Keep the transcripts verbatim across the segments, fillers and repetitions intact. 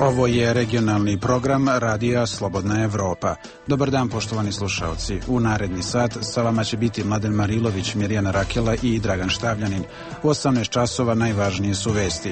Ovo je regionalni program Radija Slobodna Evropa. Dobar dan, poštovani slušalci. U naredni sat sa vama će biti Mladen Marilović, Mirjana Rakela i Dragan Štavljanin. U osamnaest časova najvažnije su vesti.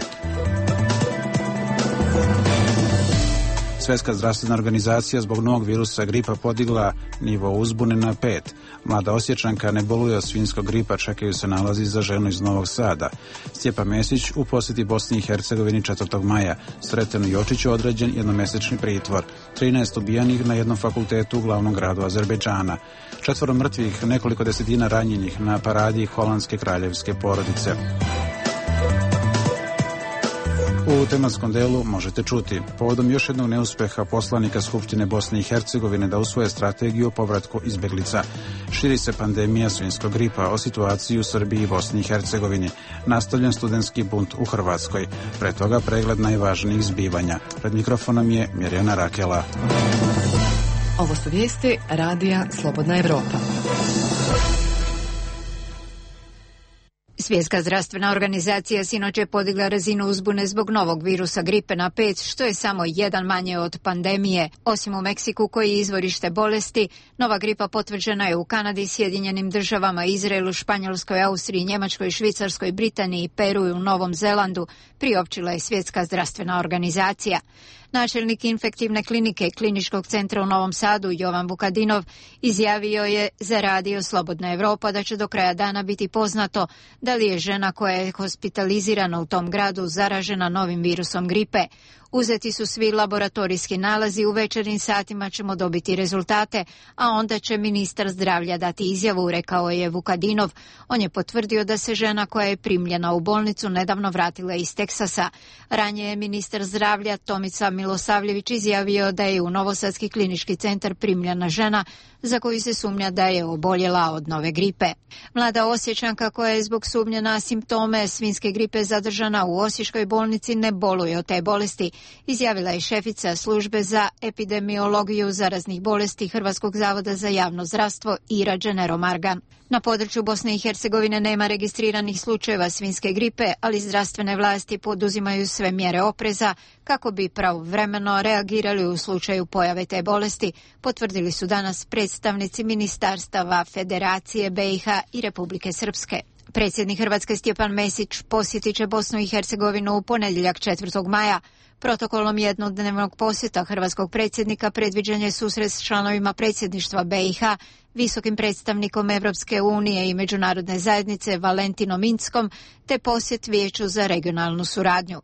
Svjetska zdravstvena organizacija zbog novog virusa gripa podigla nivo uzbune na pet. Mlada Osječanka ne boluje od svinjskog gripa, čekaju se nalazi za ženu iz Novog Sada. Stjepan Mesić u posjeti Bosni i Hercegovini četvrtog maja. Sretenu Jočiću određen jednomesečni pritvor. trinaest ubijanih na jednom fakultetu u glavnom gradu Azerbejdžana. Četvoro mrtvih, nekoliko desetina ranjenih na paradi holandske kraljevske porodice. U tematskom delu možete čuti povodom još jednog neuspeha poslanika Skupštine Bosne i Hercegovine da usvoje strategiju o povratku izbjeglica. Širi se pandemija svinjskog gripa, o situaciji u Srbiji i Bosni i Hercegovini. Nastavljen studentski bunt u Hrvatskoj. Pre toga pregled najvažnijih zbivanja. Pred mikrofonom je Mirjana Rakela. Ovo su vijesti Radija Slobodna Evropa. Svjetska zdravstvena organizacija sinoć je podigla razinu uzbune zbog novog virusa gripe na pet, što je samo jedan manje od pandemije. Osim u Meksiku, koji je izvorište bolesti, nova gripa potvrđena je u Kanadi, Sjedinjenim državama, Izraelu, Španjolskoj, Austriji, Njemačkoj, Švicarskoj, Britaniji, Peru i u Novom Zelandu, priopćila je Svjetska zdravstvena organizacija. Načelnik infektivne klinike Kliničkog centra u Novom Sadu, Jovan Vukadinov, izjavio je za Radio Slobodna Evropa da će do kraja dana biti poznato da li je žena koja je hospitalizirana u tom gradu zaražena novim virusom gripe. Uzeti su svi laboratorijski nalazi, u večernjim satima ćemo dobiti rezultate, a onda će ministar zdravlja dati izjavu, rekao je Vukadinov. On je potvrdio da se žena koja je primljena u bolnicu nedavno vratila iz Teksasa. Ranije je ministar zdravlja Tomica Milosavljević izjavio da je u Novosadski klinički centar primljena žena za koju se sumnja da je oboljela od nove gripe. Mlada Osječanka koja je zbog sumnje na simptome svinjske gripe zadržana u Osječkoj bolnici ne boluje od te bolesti, izjavila je šefica službe za epidemiologiju zaraznih bolesti Hrvatskog zavoda za javno zdravstvo Ira Dženero Margan. Na području Bosne i Hercegovine nema registriranih slučajeva svinjske gripe, ali zdravstvene vlasti poduzimaju sve mjere opreza kako bi pravovremeno reagirali u slučaju pojave te bolesti, potvrdili su danas predstavnici ministarstava Federacije be i ha i Republike Srpske. Predsjednik Hrvatske Stjepan Mesić posjetit će Bosnu i Hercegovinu u ponedjeljak četvrtog maja. Protokolom jednodnevnog posjeta hrvatskog predsjednika predviđen je susret s članovima predsjedništva be i ha, visokim predstavnikom Evropske unije i međunarodne zajednice Valentinom Inckom, te posjet Vijeću za regionalnu suradnju.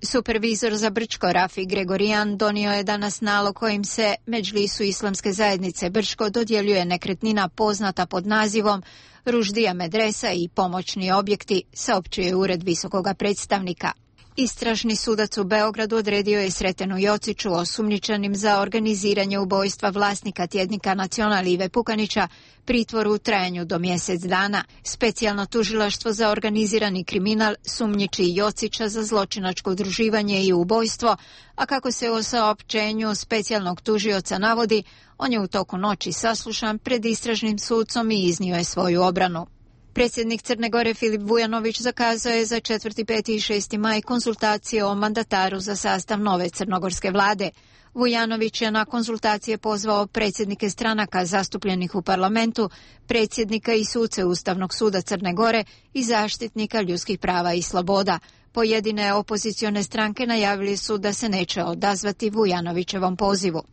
Supervizor za Brčko Rafi Gregorijan donio je danas nalog kojim se Medžlisu Islamske zajednice Brčko dodjeljuje nekretnina poznata pod nazivom Ruždija medresa i pomoćni objekti, saopćuje ured visokoga predstavnika. Istražni sudac u Beogradu odredio je Sretenu Jociću, osumnjičenim za organiziranje ubojstva vlasnika tjednika Nacional Ive Pukanića, pritvor u trajanju do mjesec dana. Specijalno tužilaštvo za organizirani kriminal sumnjiči Jocića za zločinačko udruživanje i ubojstvo, a kako se u saopćenju specijalnog tužioca navodi, on je u toku noći saslušan pred istražnim sudcom i iznio je svoju obranu. Predsjednik Crne Gore Filip Vujanović zakazao je za četvrti, peti i šesti maj konzultacije o mandataru za sastav nove crnogorske vlade. Vujanović je na konzultacije pozvao predsjednike stranaka zastupljenih u parlamentu, predsjednika i suce Ustavnog suda Crne Gore i zaštitnika ljudskih prava i sloboda. Pojedine opozicione stranke najavili su da se neće odazvati Vujanovićevom pozivu.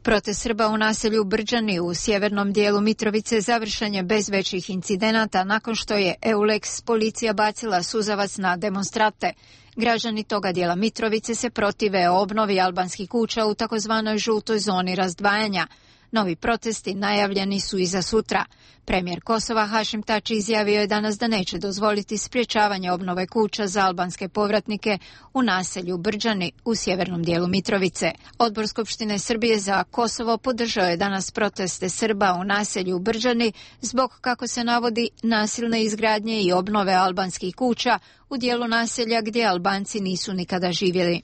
Protest Srba u naselju Brđani u sjevernom dijelu Mitrovice završen je bez većih incidenata nakon što je Eulex policija bacila suzavac na demonstrante. Građani toga dijela Mitrovice se protive obnovi albanskih kuća u takozvanoj žutoj zoni razdvajanja. Novi protesti najavljeni su i za sutra. Premijer Kosova Hašim Tači izjavio je danas da neće dozvoliti sprječavanje obnove kuća za albanske povratnike u naselju Brđani u sjevernom dijelu Mitrovice. Odbor Skupštine Srbije za Kosovo podržao je danas proteste Srba u naselju Brđani zbog, kako se navodi, nasilne izgradnje i obnove albanskih kuća u dijelu naselja gdje Albanci nisu nikada živjeli.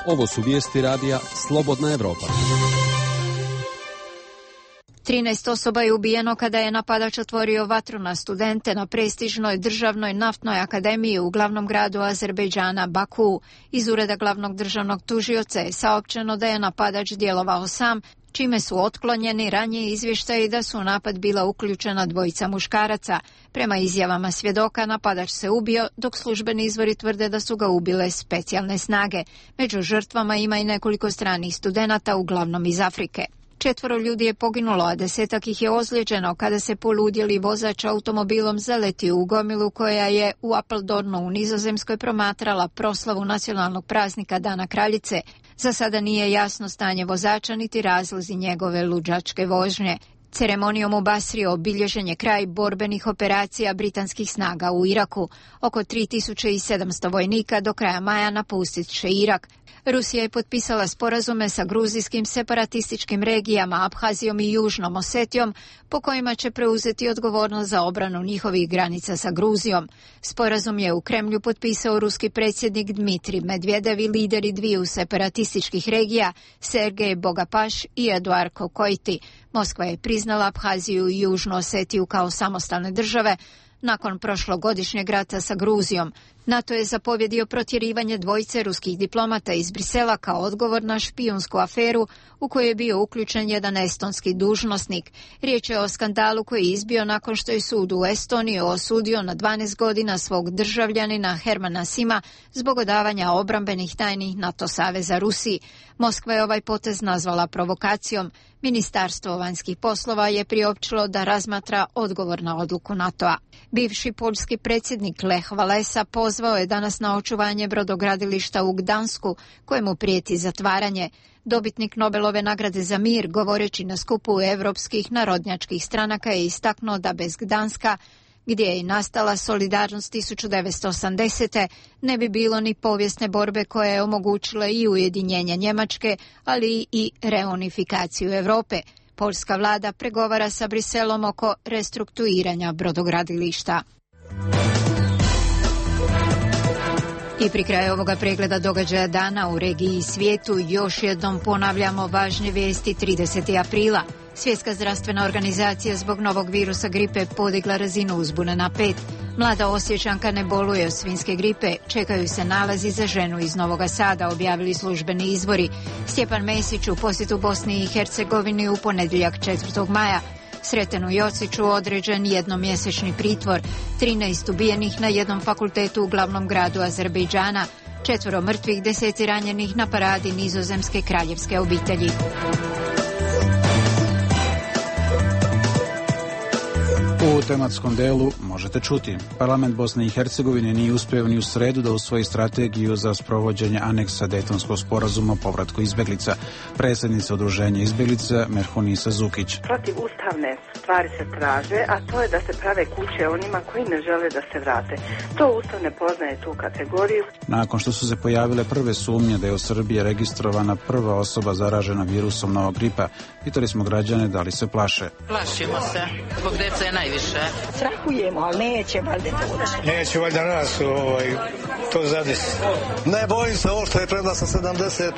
Ovo su vijesti radija Slobodna Evropa. trinaest osoba je ubijeno kada je napadač otvorio vatru na studente na prestižnoj državnoj naftnoj akademiji u glavnom gradu Azerbejdžana Baku. Iz ureda glavnog državnog tužioca je saopćeno da je napadač djelovao sam, čime su otklonjeni ranije izvještaji da su u napad bila uključena dvojica muškaraca. Prema izjavama svjedoka, napadač se ubio, dok službeni izvori tvrde da su ga ubile specijalne snage. Među žrtvama ima i nekoliko stranih studenata, uglavnom iz Afrike. Četvoro ljudi je poginulo, a desetak ih je ozlijeđeno kada se poludjeli vozač automobilom zaletio u gomilu koja je u Apeldoornu u Nizozemskoj promatrala proslavu nacionalnog praznika Dana Kraljice. Za sada nije jasno stanje vozača niti razlozi njegove luđačke vožnje. Ceremonijom u Basri obilježen je kraj borbenih operacija britanskih snaga u Iraku. Oko tri tisuće sedamsto vojnika do kraja maja napustit će Irak. Rusija je potpisala sporazume sa gruzijskim separatističkim regijama Abhazijom i Južnom Osetijom, po kojima će preuzeti odgovornost za obranu njihovih granica sa Gruzijom. Sporazum je u Kremlju potpisao ruski predsjednik Dmitrij Medvedev i lideri dviju separatističkih regija, Sergej Bogapaš i Eduard Kokojti. Moskva je priznala Abhaziju i Južnu Osetiju kao samostalne države nakon prošlogodišnjeg rata sa Gruzijom. NATO je zapovjedio protjerivanje dvojice ruskih diplomata iz Brisela kao odgovor na špijunsku aferu u kojoj je bio uključen jedan estonski dužnosnik. Riječ je o skandalu koji je izbio nakon što je sud u Estoniji osudio na dvanaest godina svog državljanina Hermana Sima zbog odavanja obrambenih tajnih NATO saveza Rusiji. Moskva je ovaj potez nazvala provokacijom. Ministarstvo vanjskih poslova je priopćilo da razmatra odgovor na odluku NATO-a. Bivši poljski predsjednik Lech Walesa pozvao je danas na očuvanje brodogradilišta u Gdansku, kojemu prijeti zatvaranje. Dobitnik Nobelove nagrade za mir, govoreći na skupu europskih narodnjačkih stranaka, je istaknuo da bez Gdanska, gdje je i nastala solidarnost tisuću devetsto osamdesete. ne bi bilo ni povijesne borbe koja je omogućila i ujedinjenje Njemačke, ali i reunifikaciju Europe. Poljska vlada pregovara sa Briselom oko restrukturiranja brodogradilišta. I pri kraju ovoga pregleda događaja dana u regiji i svijetu još jednom ponavljamo važne vijesti. tridesetog aprila Svjetska zdravstvena organizacija zbog novog virusa gripe podigla razinu uzbune na pet. Mlada Osječanka ne boluje od svinjske gripe, čekaju se nalazi za ženu iz Novoga Sada, objavili službeni izvori. Stjepan Mesić u posjetu Bosni i Hercegovini u ponedjeljak četvrtog maja. Sretenu Jociću određen jednomjesečni pritvor, trinaest ubijenih na jednom fakultetu u glavnom gradu Azerbejdžana, četvoro mrtvih, deseci ranjenih na paradi nizozemske kraljevske obitelji. U tematskom delu možete čuti. Parlament Bosne i Hercegovine nije uspio ni u sredu da usvoji strategiju za sprovođenje aneksa Dejtonskog sporazuma o povratku izbjeglica. Predsjednica udruženja izbjeglica Merhunisa Zukić. Protiv ustavne stvari se traže, a to je da se prave kuće onima koji ne žele da se vrate. To Ustav ne poznaje tu kategoriju. Nakon što su se pojavile prve sumnje da je u Srbiji registrovana prva osoba zaražena virusom novog gripa, pitali smo građane da li se plaše. Plašimo se, zbog djece je najviše. Strahujemo, ali neće valjda to. Neće valjda nas ovaj, to zadesi. Ne bojim se, ovo što je pred nas sedamdeset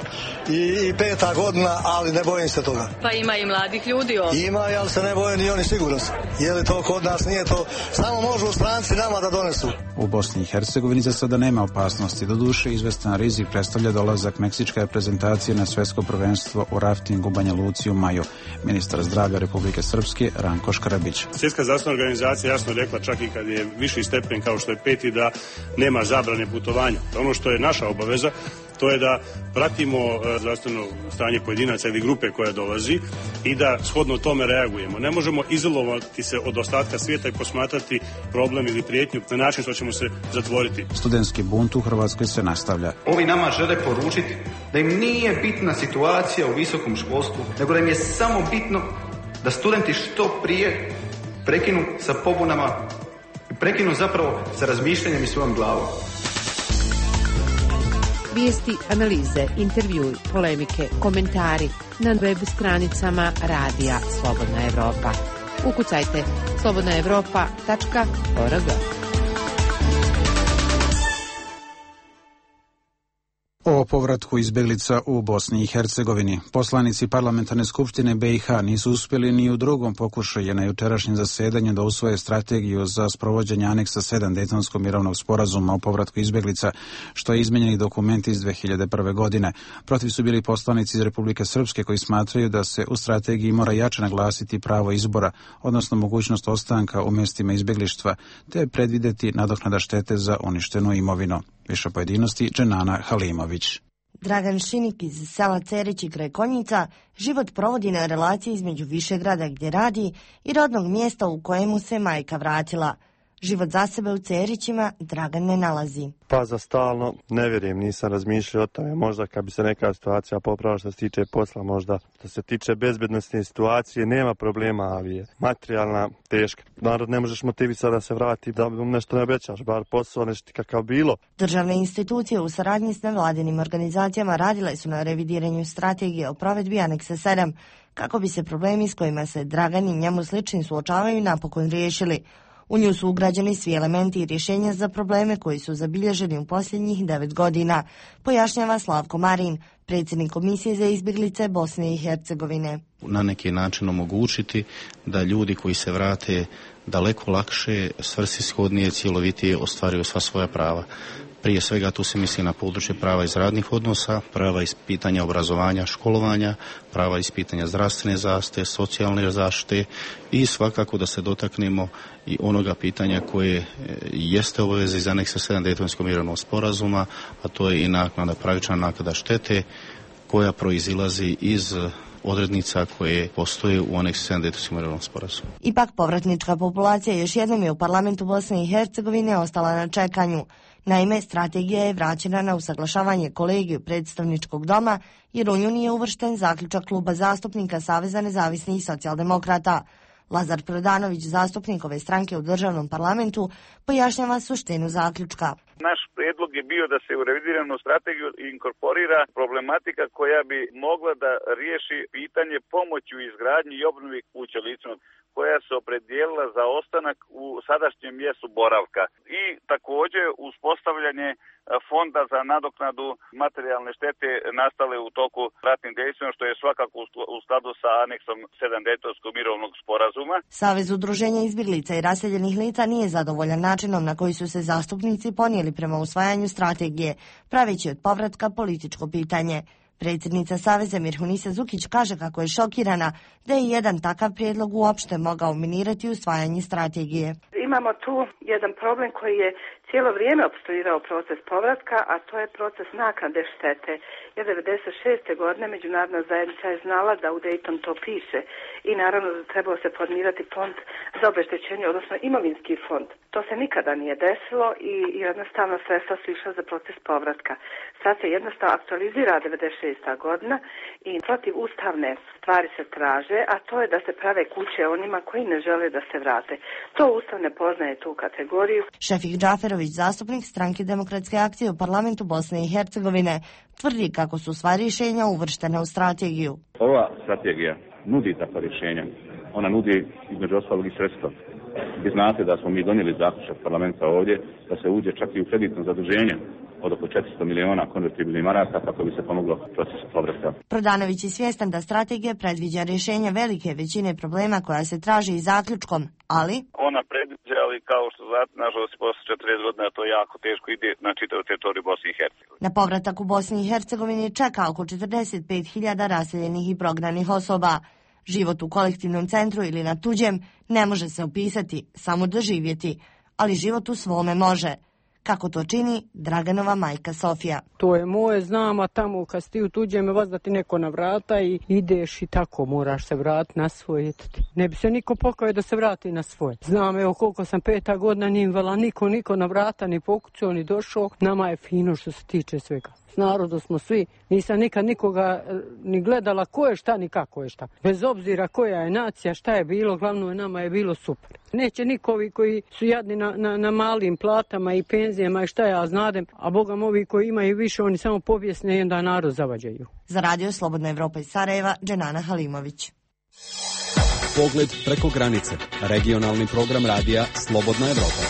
peta godina, ali ne bojim se toga. Pa ima i mladih ljudi ovdje. Ima, ali se ne boje ni oni sigurno. Je li to kod nas, nije to. Samo možu stranci nama da donesu. U Bosni i Hercegovini za sada nema opasnosti. Doduše, izvestan rizik predstavlja dolazak meksičke reprezentacije na svjetsko prvenstvo u raftingu u Banja Luci u maju. Ministar zdravlja Republike Srpske Ranko Škrabić. Svjetska zdravstvena organizacija jasno rekla, čak i kad je viši stepen kao što je peti, da nema zabrane putovanja. Ono što je naša obaveza, to je da pratimo zdravstveno stanje pojedinaca ili grupe koja dolazi i da shodno tome reagujemo. Ne možemo izolovati se od ostatka svijeta i posmatrati problem ili prijetnju na način što ćemo se zatvoriti. Studentski bunt u Hrvatskoj se nastavlja. Ovi nama žele poručiti da im nije bitna situacija u visokom školstvu, nego da im je samo bitno da studenti što prije prekinu sa pobunama i prekinu zapravo sa razmišljanjem i svojom glavom. Vijesti, analize, intervjui, polemike, komentari na web stranicama Radija Slobodna Evropa. Ukucajte slobodna evropa tačka org. O povratku izbjeglica u Bosni i Hercegovini. Poslanici parlamentarne skupštine B i H nisu uspjeli ni u drugom pokušaju na jučerašnjem zasedanju da usvoje strategiju za sprovođenje aneksa sedam Dejtonskog mirovnog sporazuma o povratku izbjeglica, što je izmenjeni dokument iz dve hiljade prve. godine. Protiv su bili poslanici iz Republike Srpske koji smatraju da se u strategiji mora jače naglasiti pravo izbora, odnosno mogućnost ostanka u mjestima izbjeglištva, te predvidjeti nadoknada štete za uništenu imovinu. Više pojedinosti Dženana Halimović. Dragan Šinik iz sela Cerići kraj Konjica život provodi na relaciji između Višegrada gdje radi i rodnog mjesta u kojemu se majka vratila. Život za sebe u Cerićima Dragan ne nalazi. Pa za stalno ne vjerujem, nisam razmišljao o tome. Možda kad bi se neka situacija popravila što se tiče posla, možda što se tiče bezbednostne situacije nema problema, ali je materijalna teška. Narod ne možeš motivisati da se vrati, da mu nešto ne obećaš, bar posao nešto kakav bilo. Državne institucije u saradnji s nevladinim organizacijama radile su na revidiranju strategije o provedbi aneksa sedam, kako bi se problemi s kojima se Dragan i njemu slični suočavaju napokon riješili. U nju su ugrađeni svi elementi i rješenja za probleme koji su zabilježeni u posljednjih devet godina, pojašnjava Slavko Marin, predsjednik Komisije za izbjeglice Bosne i Hercegovine. Na neki način omogućiti da ljudi koji se vrate daleko lakše, svrsishodnije, cjelovitije ostvaruju sva svoja prava. Prije svega tu se misli na područje prava iz radnih odnosa, prava iz pitanja obrazovanja, školovanja, prava iz pitanja zdravstvene zaštite, socijalne zaštite i svakako da se dotaknemo i onoga pitanja koje jeste obaveza iz aneksa sedam Dejtonskog mirovnog sporazuma, a to je i naknada, pravična naknada štete koja proizilazi iz odrednica koje postoje u aneksu sedam Dejtonskog mirovnog sporazuma. Ipak povratnička populacija još jednom je u parlamentu Bosne i Hercegovine ostala na čekanju. Naime, strategija je vraćena na usaglašavanje kolegiju predstavničkog doma jer u nju nije uvršten zaključak kluba zastupnika Saveza nezavisnih i socijaldemokrata. Lazar Predanović, zastupnik ove stranke u državnom parlamentu, pojašnjava suštinu zaključka. Naš prijedlog je bio da se u revidiranu strategiju inkorporira problematika koja bi mogla da riješi pitanje pomoći u izgradnji i obnovi kuća licima koja se opredijelila za ostanak u sadašnjem mjestu boravka i također uspostavljanje fonda za nadoknadu materijalne štete nastale u toku ratnih dejstva, što je svakako u skladu sa aneksom sedam Dejtonskog mirovnog sporazuma. Savez udruženja izbjeglica i raseljenih lica nije zadovoljan načinom na koji su se zastupnici ponijeli prema usvajanju strategije, praveći od povratka političko pitanje. Predsjednica Saveza Mirhunisa Zukić kaže kako je šokirana da je jedan takav prijedlog uopšte mogao minirati usvajanje strategije. Imamo tu jedan problem koji je cijelo vrijeme opstruirao proces povratka, a to je proces naknade štete. Jer devedeset šeste. godine međunarodna zajednica je znala da u Dayton to piše i naravno da trebao se formirati fond za obeštećenje, odnosno imovinski fond. To se nikada nije desilo i jednostavno sredstva su išla za proces povratka. Sad se jednostavno aktualizira devedeset šesta. godina i protiv ustavne stvari se traže, a to je da se prave kuće onima koji ne žele da se vrate. To Ustav ne poznaje tu kategoriju. Šefik Džaferović, zastupnik stranke Demokratske akcije u parlamentu Bosne i Hercegovine, tvrdi kako su sva rješenja uvrštene u strategiju. Ova strategija nudi takva rješenja. Ona nudi između ostalog i sredstva. Vi znate da smo mi donijeli zaključak parlamenta ovdje da se uđe čak i u kreditno zaduženje od oko četiristo miliona konvertibilnih maraka kako bi se pomoglo procesu povratka. Prodanović je svjestan da strategija predviđa rješenja velike većine problema koja se traži i zaključkom, ali ona predviđa, ali kao što znate, nažalost, posle četrdeset godina to jako teško ide na čitavu teritoriju Bosne i Hercegovine. Na povratak u Bosni i Hercegovini čeka oko četrdeset pet hiljada raseljenih i prognanih osoba. Život u kolektivnom centru ili na tuđem ne može se opisati, samo doživjeti, ali život u svome može. Kako to čini Draganova majka Sofija. To je moje, znam, a tamo kad si ti u tuđem vas da ti neko na vrata i ideš i tako moraš se vratiti na svoje. Ne bi se niko pokao da se vrati na svoje. Znam, evo koliko sam peta godina nije vala niko, niko na vrata ni pokucao ni došao. Nama je fino što se tiče svega. S narodom smo svi, nisam nikad nikoga ni gledala ko je šta ni kako je šta. Bez obzira koja je nacija, šta je bilo, glavno je nama je bilo super. Neće nikovi koji su jadni na, na, na malim platama i penzijama i šta ja znadem, a bogam ovi koji imaju više, oni samo povijesne i onda narod zavađaju. Za radio Slobodna Evropa iz Sarajeva, Dženana Halimović. Pogled preko granice. Regionalni program radija Slobodna Evropa.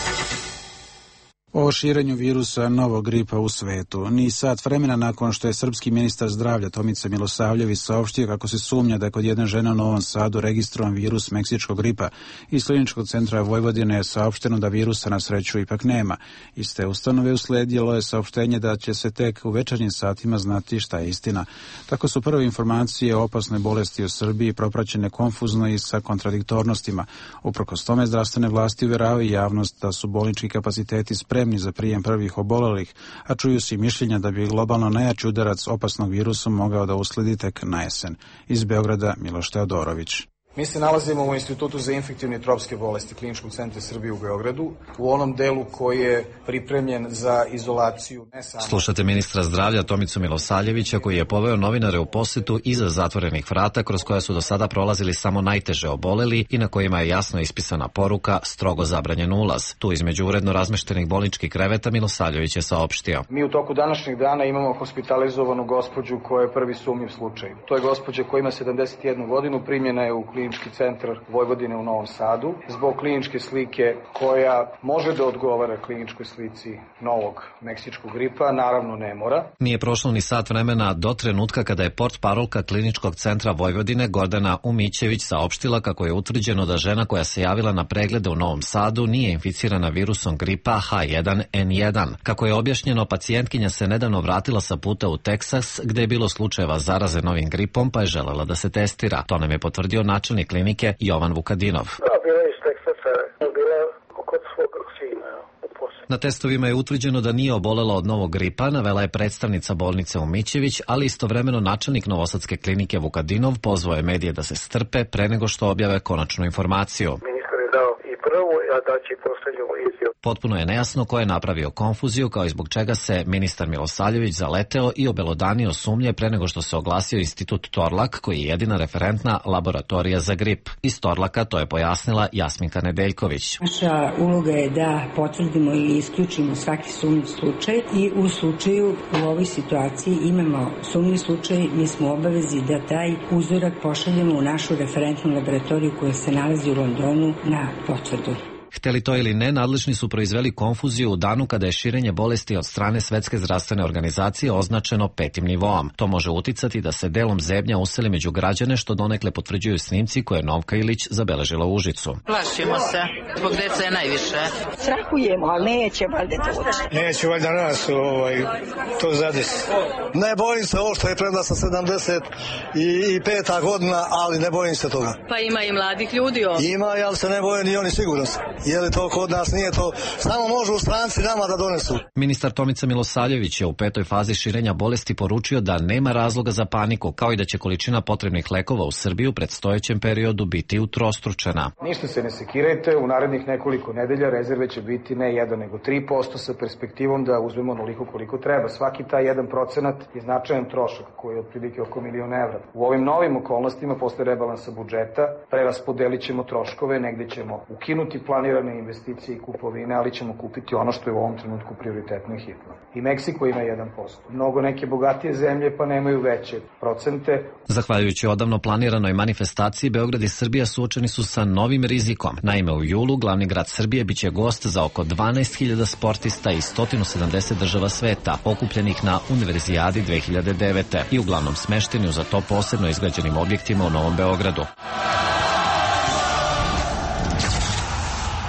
O širenju virusa novog gripa u svetu. Ni sat vremena nakon što je srpski ministar zdravlja Tomica Milosavljević saopštio kako se sumnja da je kod jedne žene u Novom Sadu registrovan virus meksičkog gripa, iz Kliničkog centra Vojvodine je saopšteno da virusa na sreću ipak nema. Iz te ustanove usledilo je saopštenje da će se tek u večernjim satima znati šta je istina. Tako su prve informacije o opasnoj bolesti u Srbiji propraćene konfuzno i sa kontradiktornostima. Uprkos tome, zdravstvene vlasti uvjeravaju javnost da su bolnički kapaciteti spremni za prijem prvih obolelih, a čuju se i mišljenja da bi globalno najjači udarac opasnog virusa mogao da usledi tek na jesen. Iz Beograda Miloš Teodorović. Mi se nalazimo u Institutu za infektivne i tropske bolesti Kliničkog centra Srbije u Beogradu, u onom delu koji je pripremljen za izolaciju. Ne samo... Slušate ministra zdravlja Tomicu Milosavljevića koji je poveo novinare u posetu iza zatvorenih vrata kroz koja su do sada prolazili samo najteže oboleli i na kojima je jasno ispisana poruka strogo zabranjen ulaz. Tu između uredno razmeštenih bolničkih kreveta Milosavljević je saopštio. Mi u toku današnjeg dana imamo hospitalizovanu gospođu koja je prvi sumnjiv slučaj. To je gospođa koja ima sedamdeset jednu godinu, primljena je u Klinički centar Vojvodine u Novom Sadu zbog kliničke slike koja može da odgovara kliničkoj slici novog meksičkog gripa, naravno ne mora. Nije prošlo ni sat vremena do trenutka kada je portparolka Kliničkog centra Vojvodine Gordana Umićević saopštila kako je utvrđeno da žena koja se javila na preglede u Novom Sadu nije inficirana virusom gripa H jedan N jedan. Kako je objašnjeno, pacijentkinja se nedavno vratila sa puta u Teksas gde je bilo slučajeva zaraze novim gripom pa je želela da se testira. To nam je potvrdio načelnik klinike Jovan Vukadinov. Da, bila iz Teksasa, bila kod svog sina. Na testovima je utvrđeno da nije obolela od novog gripa, navela je predstavnica bolnice Umićević, ali istovremeno načelnik Novosadske klinike Vukadinov pozvao je medije da se strpe pre nego što objave konačnu informaciju. Ministar je dao i prvu, a daće i poslednju izjavu. Potpuno je nejasno ko je napravio konfuziju, kao i zbog čega se ministar Milosavljević zaleteo i obelodanio sumnje pre nego što se oglasio Institut Torlak, koji je jedina referentna laboratorija za grip. Iz Torlaka to je pojasnila Jasminka Nedeljković. Naša uloga je da potvrdimo ili isključimo svaki sumnjiv slučaj i u slučaju u ovoj situaciji imamo sumnjiv slučaj, mi smo u obavezi da taj uzorak pošaljemo u našu referentnu laboratoriju koja se nalazi u Londonu na potvrdu. Hteli to ili ne, nadležni su proizveli konfuziju u danu kada je širenje bolesti od strane Svetske zdravstvene organizacije označeno petim nivoom. To može uticati da se delom zebnja useli među građane, što donekle potvrđuju snimci koje je Novka Ilić zabeležila u Užicu. Plašimo se, zbog deca je najviše. Strahujemo, ali neće valjda to ući. Neće valjda nas ovaj, to zadesi. Ne bojim se, ovo što je premda sa sedamdeset peta godina, ali ne bojim se toga. Pa ima i mladih ljudi ovdje. Ima, ali se ne boje ni oni sigurno. Je li to kod nas, nije to, samo može u stranci nama da donesu. Ministar Tomica Milosavljević je u petoj fazi širenja bolesti poručio da nema razloga za paniku, kao i da će količina potrebnih lekova u Srbiji u predstojećem periodu biti utrostručena. Ništa se ne sekirajte, u narednih nekoliko nedelja rezerve će biti ne jedan nego tri posto sa perspektivom da uzmemo onoliko koliko treba. Svaki taj jedan procenat je značajan trošak koji je otprilike oko milion evra. U ovim novim okolnostima posle rebalansa budžeta preraspodelit ćemo troškove, negde ćemo ukinuti planirane investicije i kupovine, ali ćemo kupiti ono što je u ovom trenutku prioritetno i hitno. I Meksiko ima jedan posto. Mnogo neke bogatije zemlje pa nemaju veće procente. Zahvaljujući odavno planiranoj manifestaciji, Beograd i Srbija suočeni su sa novim rizikom. Naime, u julu glavni grad Srbije biće gost za oko dvanaest hiljada sportista iz sto sedamdeset država sveta, okupljenih na Univerzijadi dve hiljade devete i uglavnom smešteni u za to posebno izgrađenim objektima u Novom Beogradu.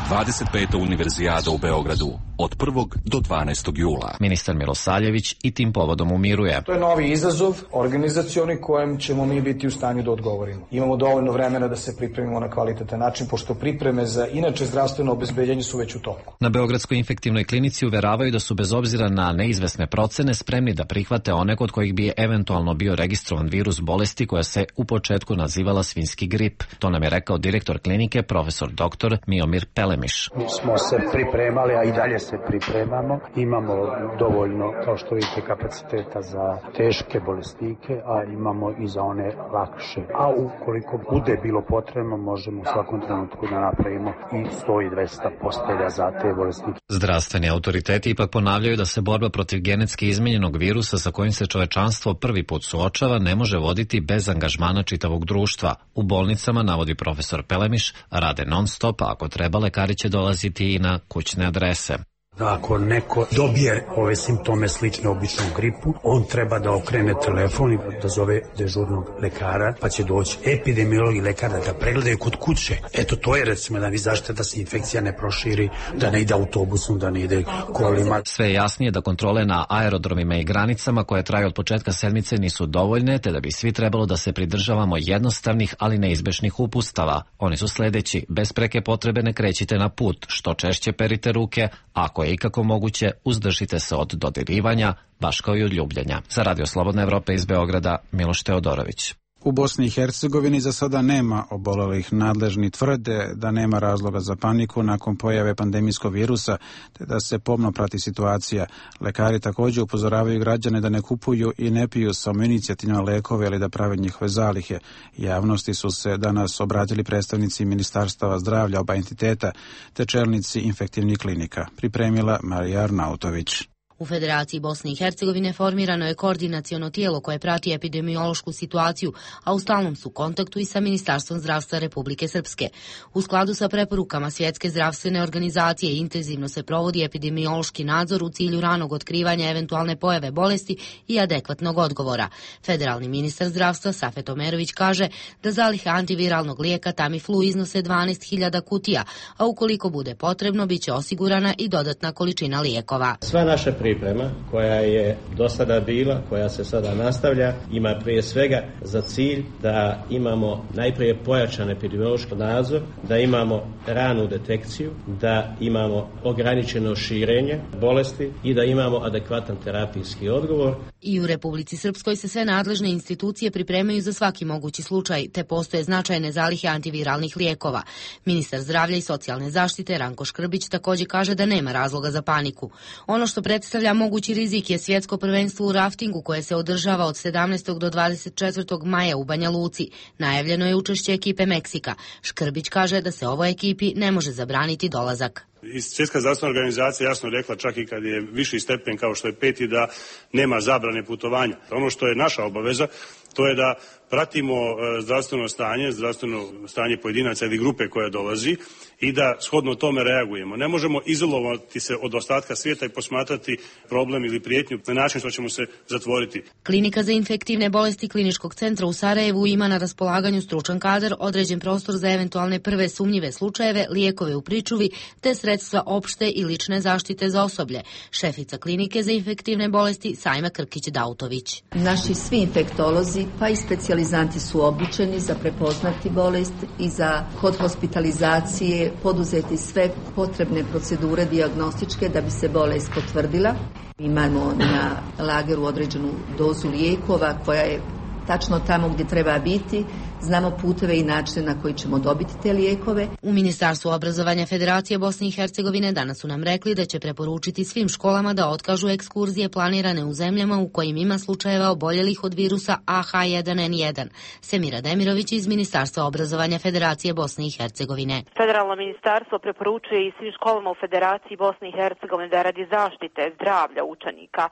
dvadeset peta Univerzijada u Beogradu od prvog do dvanaestog jula. Ministar Milosavljević i tim povodom umiruje. To je novi izazov organizacioni kojem ćemo mi biti u stanju da odgovorimo. Imamo dovoljno vremena da se pripremimo na kvalitetan način, pošto pripreme za inače zdravstveno obezbeđenje su već u toku. Na Beogradskoj infektivnoj klinici uveravaju da su bez obzira na neizvesne procene spremni da prihvate one kod kojih bi eventualno bio registrovan virus bolesti koja se u početku nazivala svinjski grip. To nam je rekao direktor klinike, profesor doktor Miomir Pelemiš. Mi smo se pripremali, a i dalje se pripremamo. Imamo dovoljno, kao što vidite, kapaciteta za teške bolesnike, a imamo i za one lakše. A ukoliko bude bilo potrebno, možemo u svakom trenutku da napravimo i sto i dvesta postelja za te bolesnike. Zdravstveni autoriteti ipak ponavljaju da se borba protiv genetski izmenjenog virusa sa kojim se čovečanstvo prvi put suočava ne može voditi bez angažmana čitavog društva. U bolnicama, navodi profesor Pelemiš, rade non stop, a ako treba, lekari će dolaziti i na kućne adrese. Ako neko dobije ove simptome slične običnom gripu, on treba da okrene telefon i da zove dežurnog lekara, pa će doći epidemiolog i lekar da ga pregledaju kod kuće. Eto, to je recimo da vi zaštite da se infekcija ne proširi, da ne ide autobusom, da ne ide kolima. Sve je jasnije da kontrole na aerodromima i granicama koje traju od početka sedmice nisu dovoljne, te da bi svi trebalo da se pridržavamo jednostavnih, ali neizbešnih upustava. Oni su sledeći: bez preke potrebe ne krećite na put, što češće perite ruke, ako je ikako moguće, uzdržite se od dodirivanja, baš kao i od ljubljenja. Za Radio Slobodna Evropa iz Beograda, Miloš Teodorović. U Bosni i Hercegovini za sada nema obolelih. Nadležni tvrde da nema razloga za paniku nakon pojave pandemijskog virusa, te da se pomno prati situacija. Lekari također upozoravaju građane da ne kupuju i ne piju samoinicijativno lekove ili da prave njihove zalihe. Javnosti su se danas obratili predstavnici Ministarstava zdravlja oba entiteta te čelnici infektivnih klinika. Pripremila Marija Arnautović. U Federaciji Bosne i Hercegovine formirano je koordinaciono tijelo koje prati epidemiološku situaciju, a u stalnom su kontaktu i sa Ministarstvom zdravstva Republike Srpske. U skladu sa preporukama Svjetske zdravstvene organizacije intenzivno se provodi epidemiološki nadzor u cilju ranog otkrivanja eventualne pojave bolesti i adekvatnog odgovora. Federalni ministar zdravstva Safet Omerović kaže da zalihe antiviralnog lijeka Tamiflu iznose dvanaest hiljada kutija, a ukoliko bude potrebno biće osigurana i dodatna količina lijekova. Sva naša priprema koja je do sada bila, koja se sada nastavlja, ima prije svega za cilj da imamo najprije pojačan epidemiološki nadzor, da imamo ranu detekciju, da imamo ograničeno širenje bolesti i da imamo adekvatan terapijski odgovor. I u Republici Srpskoj se sve nadležne institucije pripremaju za svaki mogući slučaj, te postoje značajne zalihe antiviralnih lijekova. Ministar zdravlja i socijalne zaštite Ranko Škrbić također kaže da nema razloga za paniku. Ono što predstavlja mogući rizik je svjetsko prvenstvo u raftingu koje se održava od sedamnaestog do dvadeset četvrtog maja u Banja Luci. Najavljeno je učešće ekipe Meksika. Škrbić kaže da se ovoj ekipi ne može zabraniti dolazak. Svjetska zdravstvena organizacija jasno rekla, čak i kad je viši stepen kao što je peti, da nema zabrane putovanja. Ono što je naša obaveza, to je da pratimo zdravstveno stanje, zdravstveno stanje pojedinaca ili grupe koja dolazi i da shodno tome reagujemo. Ne možemo izolovati se od ostatka svijeta i posmatrati problem ili prijetnju na način što ćemo se zatvoriti. Klinika za infektivne bolesti Kliničkog centra u Sarajevu ima na raspolaganju stručan kadar, određen prostor za eventualne prve sumnjive slučajeve, lijekove u pričuvi te sredstva opšte i lične zaštite za osoblje. Šefica Klinike za infektivne bolesti Sajma Krkić-Dautović. Naši svi infektolozi pa i specijalizanti su obučeni za prepoznati bolest i za kod hospitalizacije poduzeti sve potrebne procedure dijagnostičke da bi se bolest potvrdila. Imamo na lageru određenu dozu lijekova koja je tačno tamo gdje treba biti. Znamo puteve i načine na koji ćemo dobiti te lijekove. U Ministarstvu obrazovanja Federacije Bosne i Hercegovine danas su nam rekli da će preporučiti svim školama da otkažu ekskurzije planirane u zemljama u kojim ima slučajeva oboljelih od virusa A H jedan N jedan. Semira Demirović iz Ministarstva obrazovanja Federacije Bosne i Hercegovine. Federalno ministarstvo preporučuje i svim školama u Federaciji Bosne i Hercegovine da radi zaštite zdravlja učenika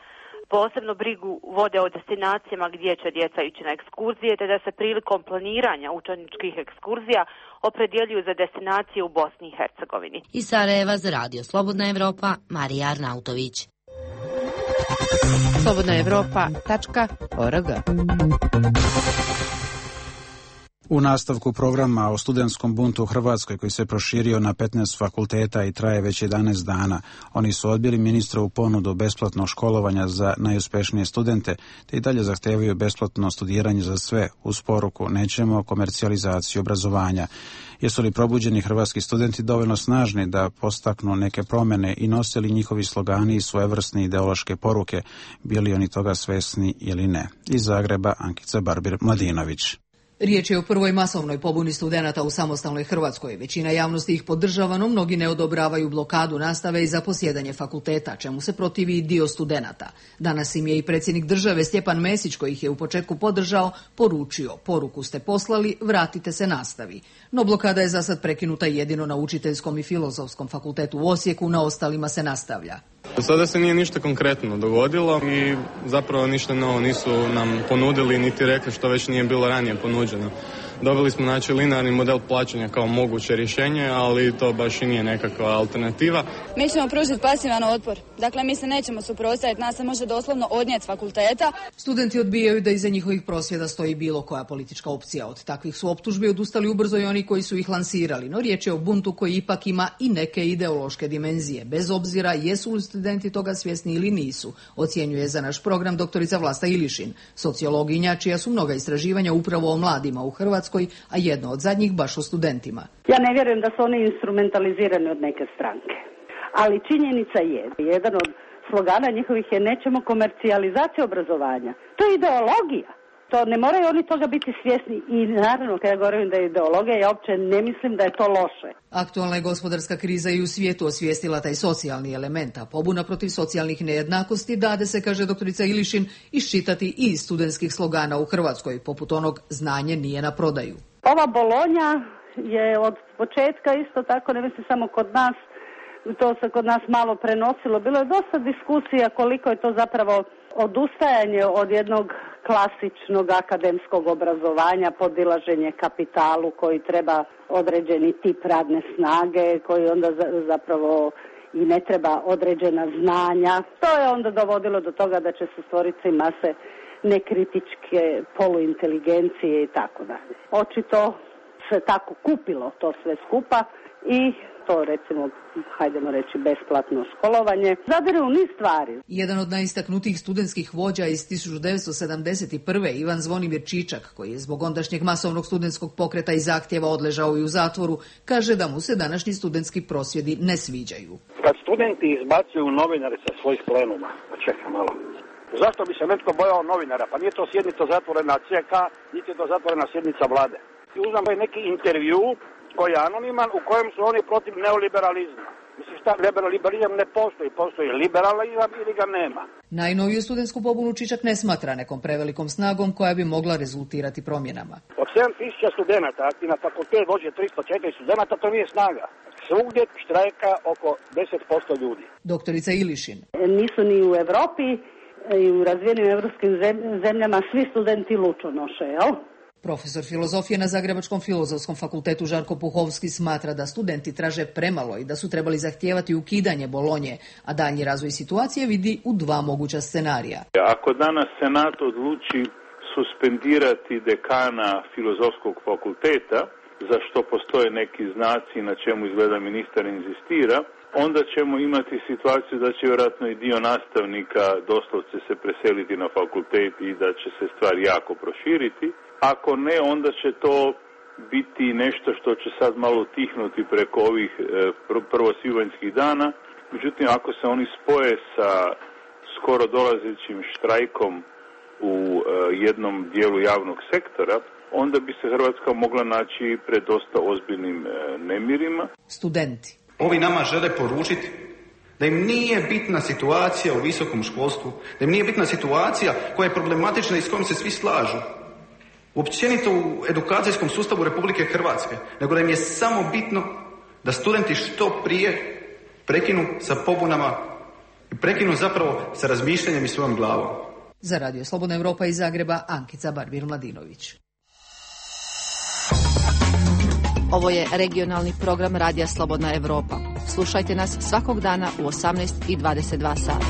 posebno brigu vode o destinacijama gdje će djeca ići na ekskurzije, te da se prilikom planiranja učeničkih ekskurzija opredjeljuju za destinacije u Bosni i Hercegovini. Iz Sarajeva za Radio Slobodna Evropa, Marija Arnautović. slobodna evropa tačka org. U nastavku programa o studentskom buntu u Hrvatskoj koji se proširio na petnaest fakulteta i traje već jedanaest dana, oni su odbili ministrovu ponudu besplatnog školovanja za najuspješnije studente, te i dalje zahtevaju besplatno studiranje za sve, uz poruku nećemo komercijalizaciju obrazovanja. Jesu li probuđeni hrvatski studenti dovoljno snažni da postaknu neke promjene i nose li njihovi slogani i svojevrsne ideološke poruke, bili oni toga svesni ili ne? Iz Zagreba Ankica Barbir-Mladinović. Riječ je o prvoj masovnoj pobuni studenata u samostalnoj Hrvatskoj. Većina javnosti ih podržava, no mnogi ne odobravaju blokadu nastave i za posjedanje fakulteta, čemu se protivi i dio studenata. Danas im je i predsjednik države Stjepan Mesić, koji ih je u početku podržao, poručio: poruku ste poslali, vratite se nastavi. No blokada je za sad prekinuta jedino na Učiteljskom i Filozofskom fakultetu u Osijeku, na ostalima se nastavlja. Do sada se nije ništa konkretno dogodilo i zapravo ništa novo nisu nam ponudili niti rekli što već nije bilo ranije ponuđeno. Dobili smo znači linearni model plaćanja kao moguće rješenje, ali to baš i nije nekakva alternativa. Mi ćemo pružiti pasivan otpor. Dakle, mi se nećemo suprotstaviti, nas se može doslovno odnijeti s fakulteta. Studenti odbijaju da iza njihovih prosvjeda stoji bilo koja politička opcija. Od takvih su optužbi odustali ubrzo i oni koji su ih lansirali, no riječ je o buntu koji ipak ima i neke ideološke dimenzije, bez obzira jesu li studenti toga svjesni ili nisu, ocjenjuje za naš program doktorica Vlasta Ilišin, sociologinja čija su mnoga istraživanja upravo o mladima u Hrvatskoj, a jedno od zadnjih baš o studentima. Ja ne vjerujem da su oni instrumentalizirani od neke stranke, ali činjenica je, jedan od slogana njihovih je nećemo komercijalizaciju obrazovanja. To je ideologija. To ne moraju oni toga biti svjesni i naravno kada govorim da je ideologija, ja uopće ne mislim da je to loše. Aktualna je gospodarska kriza i u svijetu osvijestila taj socijalni element, a pobuna protiv socijalnih nejednakosti dade se, kaže doktorica Ilišin, iščitati i iz studentskih slogana u Hrvatskoj, poput onog znanje nije na prodaju. Ova Bolonja je od početka isto tako, ne mislim samo kod nas, to se kod nas malo prenosilo. Bilo je dosta diskusija koliko je to zapravo odustajanje od jednog klasičnog akademskog obrazovanja, podilaženje kapitalu koji treba određeni tip radne snage, koji onda zapravo i ne treba određena znanja. To je onda dovodilo do toga da će se stvoriti mase nekritičke poluinteligencije i tako dalje. Očito se tako kupilo to sve skupa i to recimo, hajdemo reći, besplatno školovanje, zadire u niz stvari. Jedan od najistaknutijih studentskih vođa iz tisuću devetsto sedamdeset prve. Ivan Zvonimir Čičak, koji je zbog ondašnjeg masovnog studentskog pokreta i zahtjeva odležao i u zatvoru, kaže da mu se današnji studentski prosvjedi ne sviđaju. Kad studenti izbacuju novinare sa svojih plenuma, pa čekaj malo, zašto bi se netko bojao novinara? Pa nije to sjednica zatvorena C K, niti je to zatvorena sjednica vlade. I uzmem neki intervju koji je anoniman, u kojem su oni protiv neoliberalizma. Mislim šta, liberalizam ne postoji, postoji liberalizam ili ga nema. Najnoviju studentsku pobunu Čičak ne smatra nekom prevelikom snagom koja bi mogla rezultirati promjenama. Od sedam tisuća studenata, akti na fakultet dođe tristo četiri studenata, to nije snaga. Svugdje štrajka oko deset posto ljudi. Doktorica Ilišin. Nisu ni u Evropi i u razvijenim evropskim zemljama svi studenti lučo noše, jel? Profesor filozofije na Zagrebačkom filozofskom fakultetu Žarko Puhovski smatra da studenti traže premalo i da su trebali zahtijevati ukidanje Bolonje, a daljnji razvoj situacije vidi u dva moguća scenarija. Ako danas Senat odluči suspendirati dekana filozofskog fakulteta, za što postoje neki znaci na čemu izgleda ministar inzistira, onda ćemo imati situaciju da će vjerojatno i dio nastavnika doslovce se preseliti na fakultet i da će se stvar jako proširiti. Ako ne, onda će to biti nešto što će sad malo tihnuti preko ovih prvosvibanjskih dana. Međutim, ako se oni spoje sa skoro dolazećim štrajkom u jednom dijelu javnog sektora, onda bi se Hrvatska mogla naći pred dosta ozbiljnim nemirima. Studenti. Ovi nama žele poručiti da im nije bitna situacija u visokom školstvu, da im nije bitna situacija koja je problematična i s kojom se svi slažu. Općenito u edukacijskom sustavu Republike Hrvatske, nego da im je samo bitno da studenti što prije prekinu sa pobunama i prekinu zapravo sa razmišljanjem i svojom glavom. Za Radio Slobodna Europa iz Zagreba, Ankica Barbir-Mladinović. Ovo je regionalni program Radija Slobodna Europa. Slušajte nas svakog dana u osamnaest i dvadeset dva sata.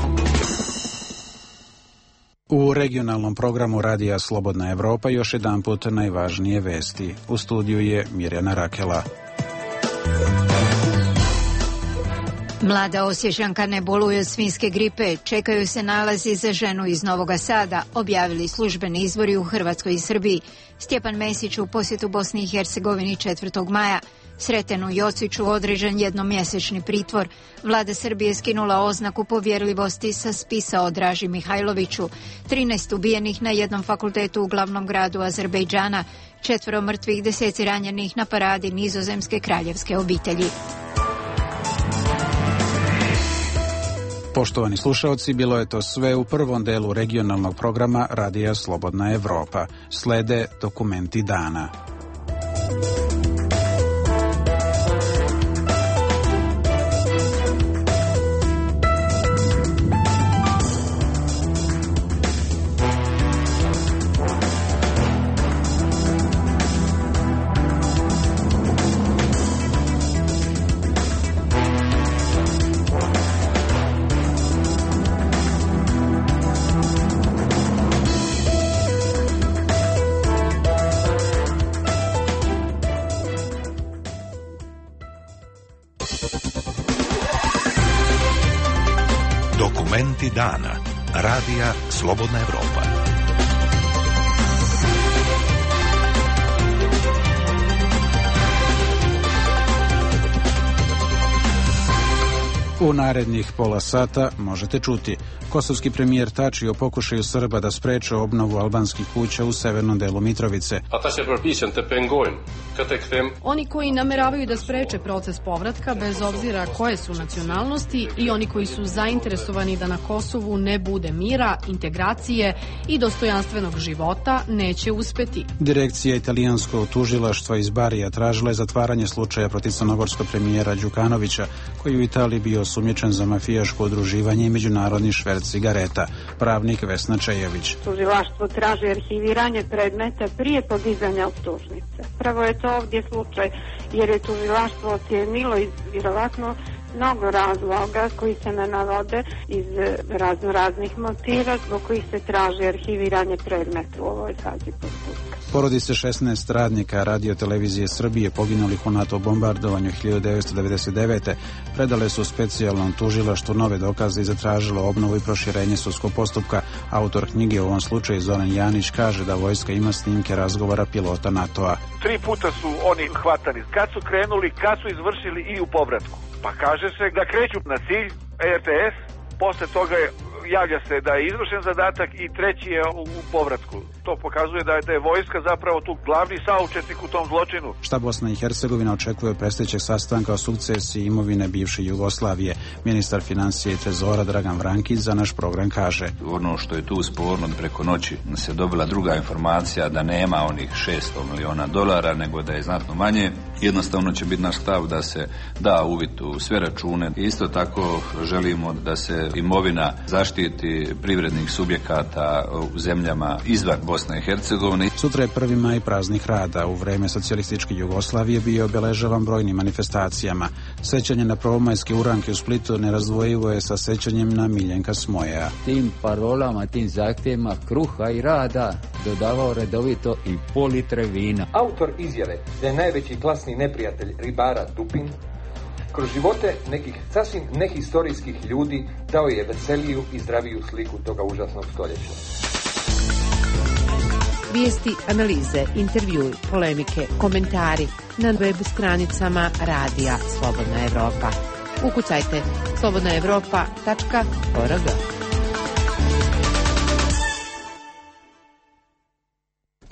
U regionalnom programu Radija Slobodna Europa još jedanput najvažnije vesti. U studiju je Mirjana Rakela. Mlada Osječanka ne boluje od svinjske gripe, čekaju se nalazi za ženu iz Novoga Sada, objavili službeni izvori u Hrvatskoj i Srbiji. Stjepan Mesić u posjetu Bosni i Hercegovini četvrtog maja. Sretenu Jociću određen jednomjesečni pritvor. Vlada Srbije skinula oznaku povjerljivosti sa spisa o Draži Mihajloviću. trinaest ubijenih na jednom fakultetu u glavnom gradu Azerbejdžana. Četvero mrtvih, deseci ranjenih na paradi nizozemske kraljevske obitelji. Poštovani slušalci, bilo je to sve u prvom delu regionalnog programa Radija Slobodna Europa. Slede dokumenti dana. Dokumenti dana. Radija Slobodna Evropa. U narednih pola sata možete čuti: kosovski premijer Tači o pokušaju Srba da spreče obnovu albanskih kuća u severnom delu Mitrovice. Oni koji nameravaju da spreče proces povratka bez obzira koje su nacionalnosti i oni koji su zainteresovani da na Kosovu ne bude mira, integracije i dostojanstvenog života neće uspeti. Direkcija italijanskog tužilaštva iz Barija tražila je zatvaranje slučaja protiv crnogorskog premijera Đukanovića, koji u Italiji bio osumnjičen za mafijaško udruživanje i međunarodni šverc cigareta. Pravnik Vesna Čejević. Tužilaštvo traži arhiviranje predmeta prije podizanja optužnice. Pravo je to ovdje slučaj jer je tužilaštvo ocijenilo iz vjerovatno mnogo razloga koji se ne navode iz razno raznih motiva zbog kojih se traži arhiviranje predmeta u ovoj fazi postupka. Porodice šesnaest radnika Radio televizije Srbije poginulih u NATO bombardovanju hiljadu devetsto devedeset devete. predale su specijalnom tužilaštvu nove dokaze i zatražilo obnovu i proširenje sudskog postupka. Autor knjige u ovom slučaju Zoran Janić kaže da vojska ima snimke razgovora pilota NATO-a. Tri puta su oni hvatani. Kad su krenuli, kad su izvršili i u povratku. Pa kaže se da kreću na cilj R T S, posle toga je, javlja se da je izvršen zadatak i treći je u, u povratku. To pokazuje da je, da je vojska zapravo tu glavni saučesnik u tom zločinu. Šta Bosna i Hercegovina očekuje od predstojećeg sastanka o sukcesiji imovine bivše Jugoslavije? Ministar financije i trezora Dragan Vrankić za naš program kaže: ono što je tu sporno, preko noći se dobila druga informacija da nema onih šesto miliona dolara, nego da je znatno manje. Jednostavno će biti naš stav da se da uvid u sve račune. Isto tako želimo da se imovina zaštiti privrednih subjekata u zemljama izvan Bosne i Hercegovine. Sutra je prvi maj praznik rada. U vreme socijalističke Jugoslavije bio obeležavan brojnim manifestacijama. Sećanje na prvomajske uranke u Splitu nerazdvojivo je sa sećanjem na Miljenka Smojeja. Tim parolama, tim zahtjevima kruha i rada dodavao redovito i pol litre vina. Autor izjave da je najveći klasni neprijatelj ribara Dupin kroz živote nekih sasvim nehistorijskih ljudi dao je veseliju i zdraviju sliku toga užasnog stoljeća. Vijesti, analize, intervjui, polemike, komentari na web stranicama Radija Slobodna Evropa. Ukucajte slobodna evropa tačka org.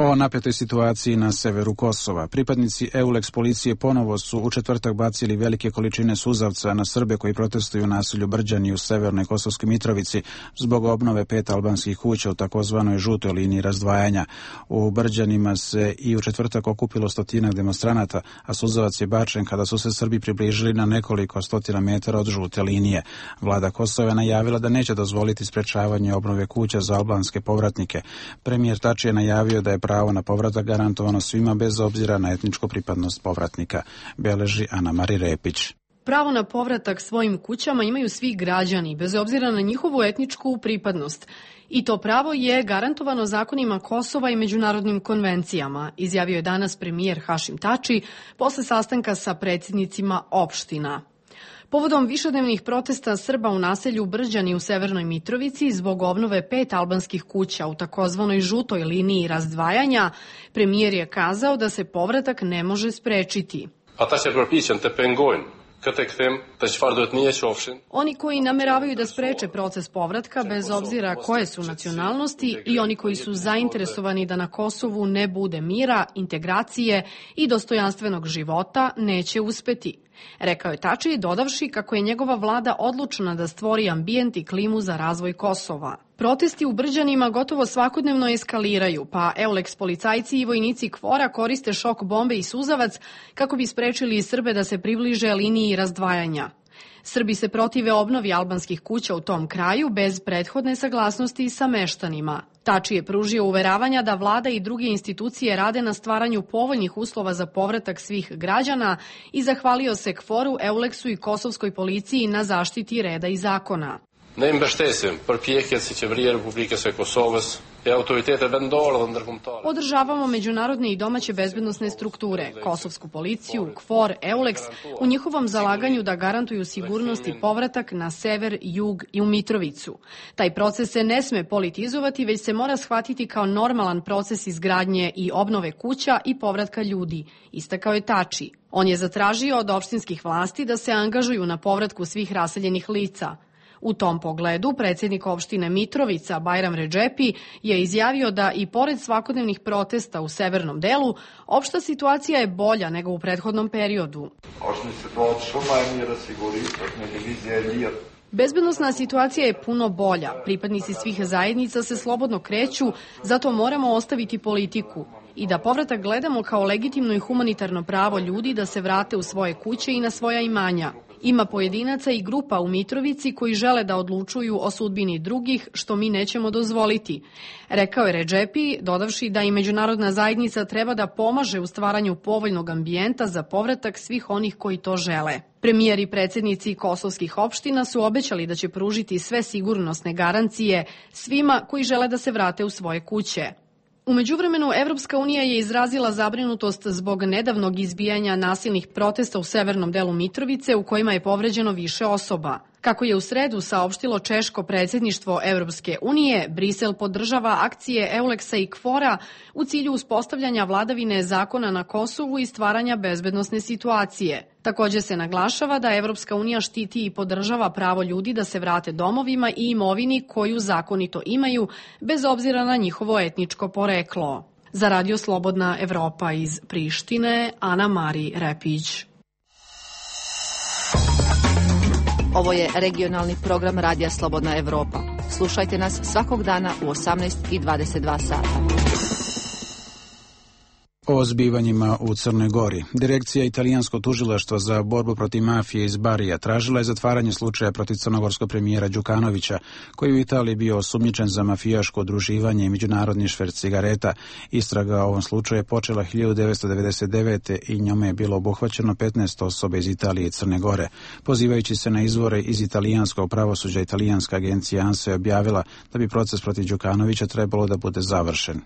O napetoj situaciji na severu Kosova. Pripadnici EULEX policije ponovo su u četvrtak bacili velike količine suzavca na Srbe koji protestuju u naselju Brđani u severnoj Kosovskoj Mitrovici zbog obnove pet albanskih kuća u takozvanoj žutoj liniji razdvajanja. U Brđanima se i u četvrtak okupilo stotinak demonstranata, a suzavac je bačen kada su se Srbi približili na nekoliko stotina metara od žute linije. Vlada Kosova je najavila da neće dozvoliti sprečavanje obnove kuća za albanske povratnike. Premijer Tači je najavio da je pravo na povratak garantovano svima bez obzira na etničku pripadnost povratnika, beleži Ana Mari Repić. Pravo na povratak svojim kućama imaju svi građani, bez obzira na njihovu etničku pripadnost. I to pravo je garantovano zakonima Kosova i međunarodnim konvencijama, izjavio je danas premijer Hašim Tači posle sastanka sa predsjednicima opština. Povodom višednevnih protesta Srba u naselju Brđani u severnoj Mitrovici zbog obnove pet albanskih kuća u takozvanoj žutoj liniji razdvajanja, premijer je kazao da se povratak ne može sprečiti. Oni koji nameravaju da spreče proces povratka bez obzira koje su nacionalnosti i oni koji su zainteresovani da na Kosovu ne bude mira, integracije i dostojanstvenog života neće uspeti. Rekao je Tači, dodavši kako je njegova vlada odlučna da stvori ambijent i klimu za razvoj Kosova. Protesti u Brđanima gotovo svakodnevno eskaliraju, pa EULEX policajci i vojnici KFOR-a koriste šok bombe i suzavac kako bi sprečili Srbe da se približe liniji razdvajanja. Srbi se protive obnovi albanskih kuća u tom kraju bez prethodne saglasnosti sa meštanima. Tači je pružio uveravanja da vlada i druge institucije rade na stvaranju povoljnih uslova za povratak svih građana i zahvalio se KFOR-u, EULEX-u i kosovskoj policiji na zaštiti reda i zakona. Ne mbështesim përpjekjet si qeveria e Republikës së Kosovës Podržavamo međunarodne i domaće bezbednosne strukture, kosovsku policiju, KFOR, EULEX, u njihovom zalaganju da garantuju sigurnost i povratak na sever, jug i u Mitrovicu. Taj proces se ne sme politizovati, već se mora shvatiti kao normalan proces izgradnje i obnove kuća i povratka ljudi, istakao je Tači. On je zatražio od opštinskih vlasti da se angažuju na povratku svih raseljenih lica. U tom pogledu predsjednik opštine Mitrovica Bajram Redžepi je izjavio da i pored svakodnevnih protesta u severnom delu, opšta situacija je bolja nego u prethodnom periodu. Bezbednosna situacija je puno bolja. Pripadnici svih zajednica se slobodno kreću, zato moramo ostaviti politiku i da povratak gledamo kao legitimno i humanitarno pravo ljudi da se vrate u svoje kuće i na svoja imanja. Ima pojedinaca i grupa u Mitrovici koji žele da odlučuju o sudbini drugih, što mi nećemo dozvoliti. Rekao je Redžepi, dodavši da i međunarodna zajednica treba da pomaže u stvaranju povoljnog ambijenta za povratak svih onih koji to žele. Premijer i predsjednici kosovskih opština su obećali da će pružiti sve sigurnosne garancije svima koji žele da se vrate u svoje kuće. U međuvremenu, Evropska unija je izrazila zabrinutost zbog nedavnog izbijanja nasilnih protesta u severnom delu Mitrovice u kojima je povređeno više osoba. Kako je u sredu saopštilo češko predsjedništvo Evropske unije, Brisel podržava akcije EULEX-a i KFOR-a u cilju uspostavljanja vladavine zakona na Kosovu i stvaranja bezbednosne situacije. Također se naglašava da Evropska unija štiti i podržava pravo ljudi da se vrate domovima i imovini koju zakonito imaju, bez obzira na njihovo etničko poreklo. Za Radio Slobodna Evropa iz Prištine, Ana Mari Repić. Ovo je regionalni program Radija Slobodna Evropa. Slušajte nas svakog dana u osamnaest i dvadeset dva sata. O zbivanjima u Crnoj Gori. Direkcija Italijanskog tužilaštva za borbu protiv mafije iz Barija tražila je zatvaranje slučaja protiv crnogorskog premijera Đukanovića, koji u Italiji bio osumnjičen za mafijaško udruživanje i međunarodni šverc cigareta. Istraga o ovom slučaju je počela hiljadu devetsto devedeset devete. i njome je bilo obuhvaćeno petnaest osoba iz Italije i Crne Gore. Pozivajući se na izvore iz italijanskog pravosuđa, italijanska agencija ANSA je objavila da bi proces protiv Đukanovića trebalo da bude završen.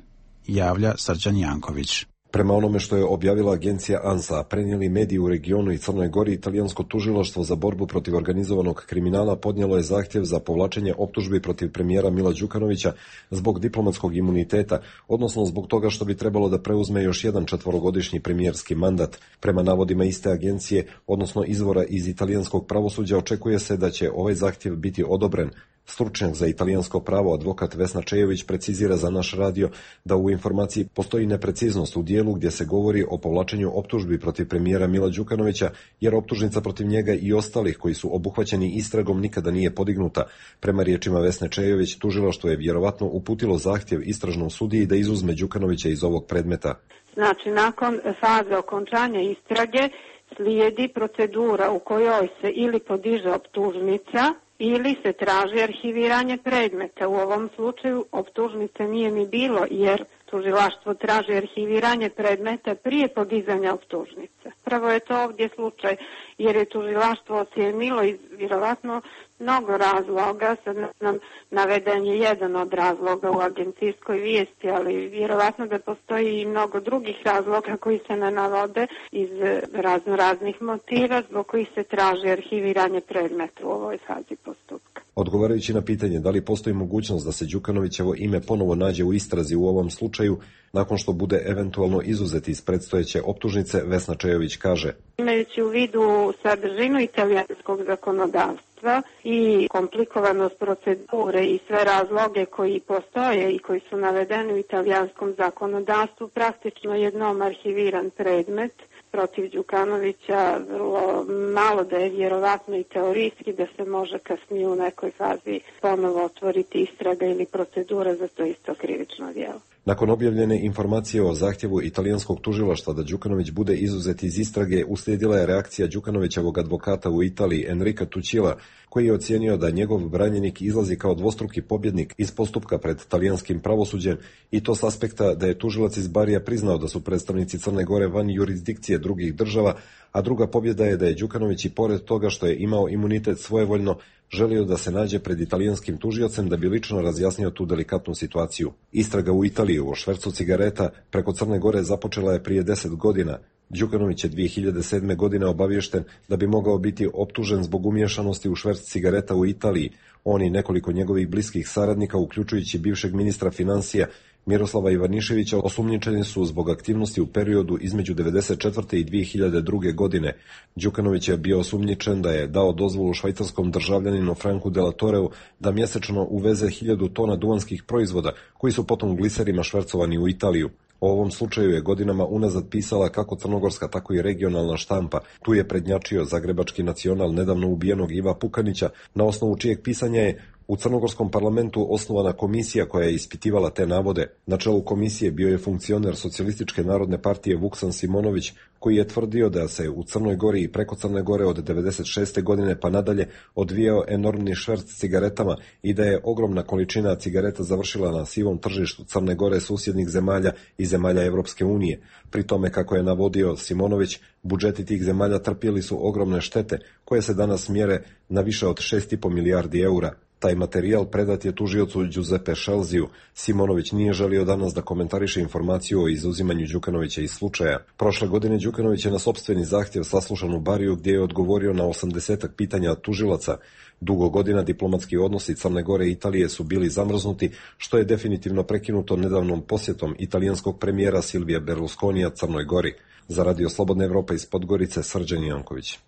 Javlja Srđan Janković. Prema onome što je objavila agencija ANSA, prenijeli mediji u regionu i Crnoj Gori, italijansko tužilaštvo za borbu protiv organizovanog kriminala podnijelo je zahtjev za povlačenje optužbi protiv premijera Mila Đukanovića zbog diplomatskog imuniteta, odnosno zbog toga što bi trebalo da preuzme još jedan četvorogodišnji premijerski mandat. Prema navodima iste agencije, odnosno izvora iz italijanskog pravosuđa, očekuje se da će ovaj zahtjev biti odobren. Stručnjak za italijansko pravo, advokat Vesna Čejović, precizira za naš radio da u informaciji postoji nepreciznost u dijelu gdje se govori o povlačenju optužbi protiv premijera Mila Đukanovića, jer optužnica protiv njega i ostalih koji su obuhvaćeni istragom nikada nije podignuta. Prema riječima Vesne Čejović, tužilaštvo je vjerovatno uputilo zahtjev istražnom sudiji da izuzme Đukanovića iz ovog predmeta. Znači, nakon faze okončanja istrage slijedi procedura u kojoj se ili podiže optužnica ili se traži arhiviranje predmeta. U ovom slučaju optužnice nije ni bilo, jer tužilaštvo traži arhiviranje predmeta prije podizanja optužnice. Prvo je to ovdje slučaj, jer je tužilaštvo ocijenilo iz vjerovatno mnogo razloga, sad nam naveden je jedan od razloga u agencijskoj vijesti, ali vjerovatno da postoji i mnogo drugih razloga koji se ne navode iz razno raznih motiva zbog kojih se traži arhiviranje predmeta u ovoj fazi postupka. Odgovarajući na pitanje da li postoji mogućnost da se Đukanovićevo ime ponovo nađe u istrazi u ovom slučaju, nakon što bude eventualno izuzeti iz predstojeće optužnice, Vesna Čejović kaže: Imajući u vidu sadržinu italijanskog zakonodavstva i komplikovanost procedure i sve razloge koji postoje i koji su navedeni u italijanskom zakonodavstvu, praktično jednom arhiviran predmet protiv Đukanovića, vrlo malo da je vjerovatno i teorijski da se može kasnije u nekoj fazi ponovo otvoriti istraga ili procedura za to isto krivično djelo. Nakon objavljene informacije o zahtjevu italijanskog tužilaštva da Đukanović bude izuzet iz istrage, uslijedila je reakcija Đukanovićevog advokata u Italiji Enrika Tucila, koji je ocijenio da njegov branjenik izlazi kao dvostruki pobjednik iz postupka pred talijanskim pravosuđem, i to s aspekta da je tužilac iz Barija priznao da su predstavnici Crne Gore van jurisdikcije drugih država, a druga pobjeda je da je Đukanović i pored toga što je imao imunitet svojevoljno želio da se nađe pred italijanskim tužiocem da bi lično razjasnio tu delikatnu situaciju. Istraga u Italiji o švercu cigareta preko Crne Gore započela je prije deset godina. Đukanović je dvije hiljade sedme. godine obaviješten da bi mogao biti optužen zbog umiješanosti u šverc cigareta u Italiji. On i nekoliko njegovih bliskih saradnika, uključujući bivšeg ministra financija Miroslava Ivaniševića, osumnjičeni su zbog aktivnosti u periodu između devedeset četvrte i dvije hiljade druge. godine. Đukanović je bio osumnjičen da je dao dozvolu švajcarskom državljaninu Franku de la Toreu da mjesečno uveze hiljadu tona duvanskih proizvoda, koji su potom gliserima švercovani u Italiju. O ovom slučaju je godinama unazad pisala kako crnogorska, tako i regionalna štampa. Tu je prednjačio zagrebački Nacional nedavno ubijenog Iva Pukanića, na osnovu čijeg pisanja je u crnogorskom parlamentu osnovana komisija koja je ispitivala te navode. Na čelu komisije bio je funkcioner Socijalističke narodne partije Vuksan Simonović, koji je tvrdio da se u Crnoj Gori i preko Crne Gore od devedeset šeste. godine pa nadalje odvijao enormni šverc cigaretama i da je ogromna količina cigareta završila na sivom tržištu Crne Gore, susjednih zemalja i zemalja Evropske unije. Pri tome, kako je navodio Simonović, budžeti tih zemalja trpjeli su ogromne štete koje se danas mjere na više od šest i po milijardi eura. Taj materijal predat je tužiocu Giuseppe Scelziju. Simonović nije želio danas da komentariše informaciju o izuzimanju Đukanovića iz slučaja. Prošle godine Đukanović je na sopstveni zahtjev saslušan u Bariju, gdje je odgovorio na osamdesetak pitanja tužilaca. Dugo godina diplomatski odnosi Crne Gore i Italije su bili zamrznuti, što je definitivno prekinuto nedavnom posjetom italijanskog premijera Silvija Berlusconija Crnoj Gori. Za Radio Slobodna Evropa iz Podgorice, Srđan Janković.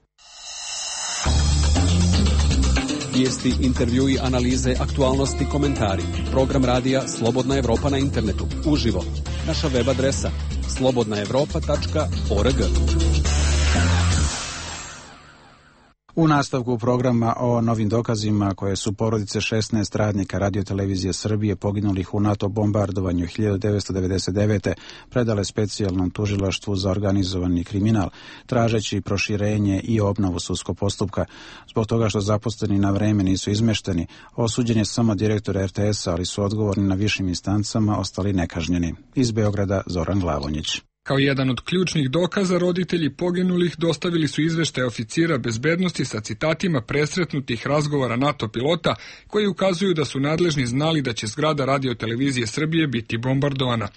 Vijesti, intervjui, analize, aktualnosti, komentari. Program radija Slobodna Evropa na internetu. Uživo. Naša web adresa slobodna evropa tačka org. U nastavku programa o novim dokazima koje su porodice šesnaest radnika Radiotelevizije Srbije poginulih u NATO bombardovanju hiljadu devetsto devedeset devete. predale specijalnom tužilaštvu za organizovani kriminal, tražeći proširenje i obnovu sudskog postupka. Zbog toga što zaposleni na vreme nisu izmešteni, osuđen je samo direktor er te es a, ali su odgovorni na višim instancama ostali nekažnjeni. Iz Beograda Zoran Glavonjić. Kao jedan od ključnih dokaza, roditelji poginulih dostavili su izveštaj oficira bezbednosti sa citatima presretnutih razgovora NATO pilota koji ukazuju da su nadležni znali da će zgrada Radiotelevizije Srbije biti bombardovana.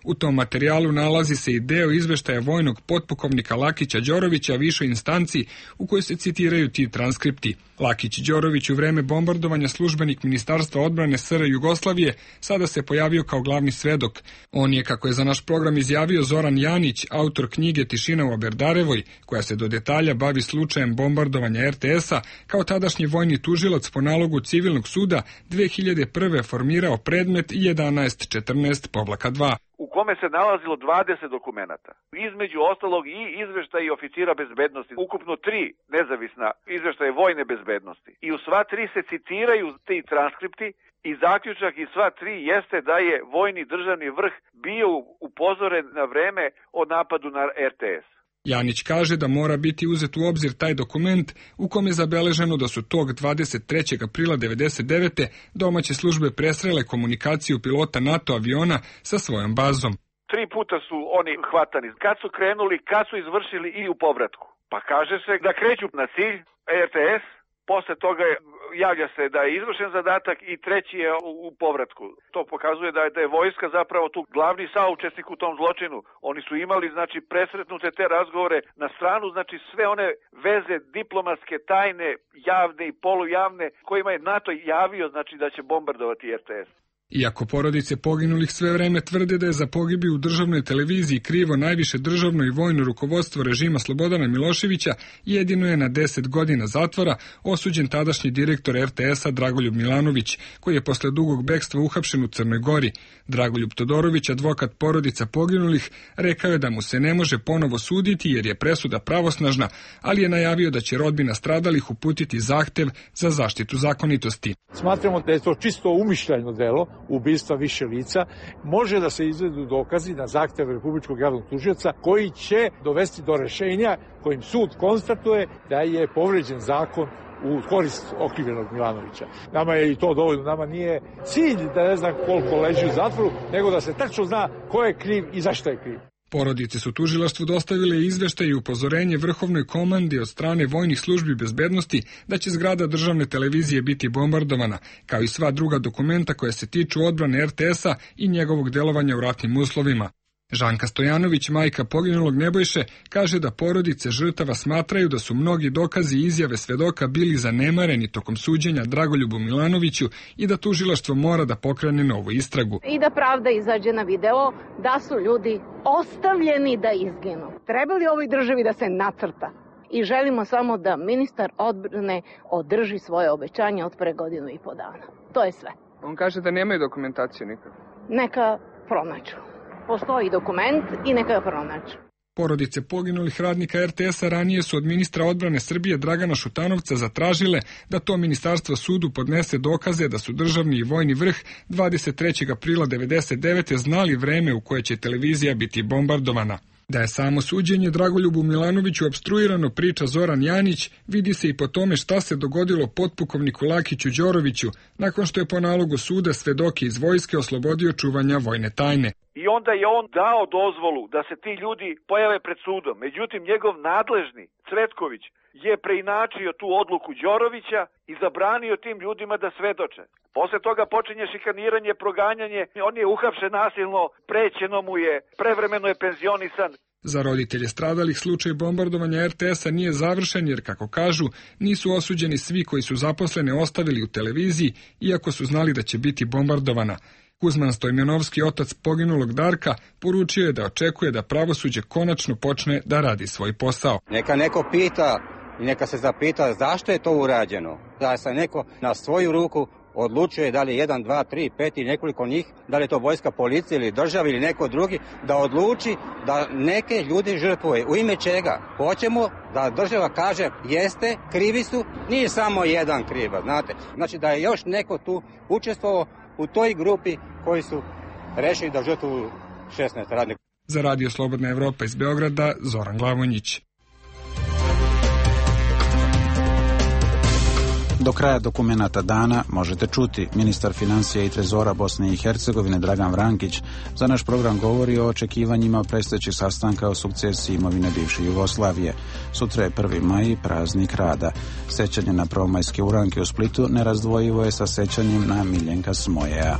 U tom materijalu nalazi se i deo izveštaja vojnog potpukovnika Lakića Đorovića višoj instanci u kojoj se citiraju ti transkripti. Lakić Đorović, u vreme bombardovanja službenik Ministarstva odbrane es er Jugoslavije, sada se pojavio kao glavni svedok. On je, kako je za naš program izjavio Zoran Janić, autor knjige Tišina u Aberdarevoj, koja se do detalja bavi slučajem bombardovanja er te es a, kao tadašnji vojni tužilac po nalogu civilnog suda dve hiljade prve. formirao predmet jedanaest četrnaest dva. U kome se nalazilo dvadeset dokumenata. Između ostalog i izveštaj oficira bezbednosti. Ukupno tri nezavisna izveštaje vojne bezbednosti. I u sva tri se citiraju ti transkripti i zaključak iz sva tri jeste da je vojni državni vrh bio upozoren na vreme o napadu na er te es. Janić kaže da mora biti uzet u obzir taj dokument u kome je zabeleženo da su tog dvadeset trećeg aprila devedeset devete. domaće službe presrele komunikaciju pilota NATO aviona sa svojom bazom. Tri puta su oni hvatani. Kad su krenuli, kad su izvršili i u povratku. Pa kaže se da kreću na cilj er te es, posle toga je, javlja se da je izvršen zadatak i treći je u, u povratku. To pokazuje da je, da je vojska zapravo tu glavni saučesnik u tom zločinu. Oni su imali, znači, presretnute te razgovore na stranu, znači sve one veze diplomatske, tajne, javne i polujavne kojima je NATO javio, znači, da će bombardovati er te es. Iako porodice poginulih sve vreme tvrde da je za pogibiju u državnoj televiziji krivo najviše državno i vojno rukovodstvo režima Slobodana Miloševića, jedino je na deset godina zatvora osuđen tadašnji direktor er te es a Dragoljub Milanović, koji je posle dugog bekstva uhapšen u Crnoj Gori. Dragoljub Todorović, advokat porodica poginulih, rekao je da mu se ne može ponovo suditi jer je presuda pravosnažna, ali je najavio da će rodbina stradalih uputiti zahtev za zaštitu zakonitosti. Smatramo da je to čisto umišljajno delo ubistva više lica, može da se izvedu dokazi na zahtev Republičkog javnog tužioca koji će dovesti do rešenja kojim sud konstatuje da je povređen zakon u korist okrivljenog Milanovića. Nama je i to dovoljno, nama nije cilj da ne znam koliko leži u zatvoru, nego da se tačno zna ko je kriv i zašto je kriv. Porodice su tužilaštvu dostavile izveštaj i upozorenje vrhovnoj komandi od strane vojnih službi bezbednosti da će zgrada državne televizije biti bombardovana, kao i sva druga dokumenta koja se tiču odbrane er te esa i njegovog delovanja u ratnim uslovima. Žanka Stojanović, majka poginulog Nebojše, kaže da porodice žrtava smatraju da su mnogi dokazi i izjave svedoka bili zanemareni tokom suđenja Dragoljubu Milanoviću i da tužilaštvo mora da pokrene novu istragu. I da pravda izađe na video da su ljudi ostavljeni da izginu. Treba li ovoj državi da se nacrta? I želimo samo da ministar odbrane održi svoje obećanje od pre godinu i po dana. To je sve. On kaže da nemaju dokumentaciju nikad. Neka pronađu. Postoji dokument i neka ga pronađu. Porodice poginulih radnika er te esa ranije su od ministra odbrane Srbije Dragana Šutanovca zatražile da to ministarstvo sudu podnese dokaze da su državni i vojni vrh dvadeset trećeg aprila devedeset devete znali vreme u koje će televizija biti bombardovana. Da je samo suđenje Dragoljubu Milanoviću opstruirano, priča Zoran Janić, vidi se i po tome šta se dogodilo potpukovniku Lakiću Đoroviću nakon što je po nalogu suda svedoke iz vojske oslobodio čuvanja vojne tajne. I onda je on dao dozvolu da se ti ljudi pojave pred sudom. Međutim, njegov nadležni, Cvetković, je preinačio tu odluku Đorovića i zabranio tim ljudima da svedoče. Posle toga počinje šikaniranje, proganjanje, on je uhapšen nasilno, prećeno mu je, prevremeno je penzionisan. Za roditelje stradalih slučaj bombardovanja er te esa nije završen jer, kako kažu, nisu osuđeni svi koji su zaposlene ostavili u televiziji, iako su znali da će biti bombardovana. Kuzman Stojmenovski, otac poginulog Darka, poručio je da očekuje da pravosuđe konačno počne da radi svoj posao. Neka neko pita i neka se zapita zašto je to urađeno. Da se neko na svoju ruku odlučuje da li je jedan, dva, tri, pet i nekoliko njih, da li je to vojska, policija ili država ili neko drugi, da odluči da neke ljudi žrtvuje. U ime čega? Hoćemo da država kaže jeste, krivi su, nije samo jedan kriva, znate. Znači da je još neko tu učestvovao u toj grupi koji su rešili da žrtvuju šesnaest radnika. Za Radio Slobodna Evropa iz Beograda, Zoran Glavonjić. Do kraja dokumenata dana možete čuti ministar financija i trezora Bosne i Hercegovine Dragan Vrankić za naš program govori o očekivanjima predstojećih sastanka o sukcesiji imovine bivše Jugoslavije. Sutra je prvi maj, praznik rada. Sećanje na prvomajske uranke u Splitu nerazdvojivo je sa sećanjem na Miljenka Smojeja.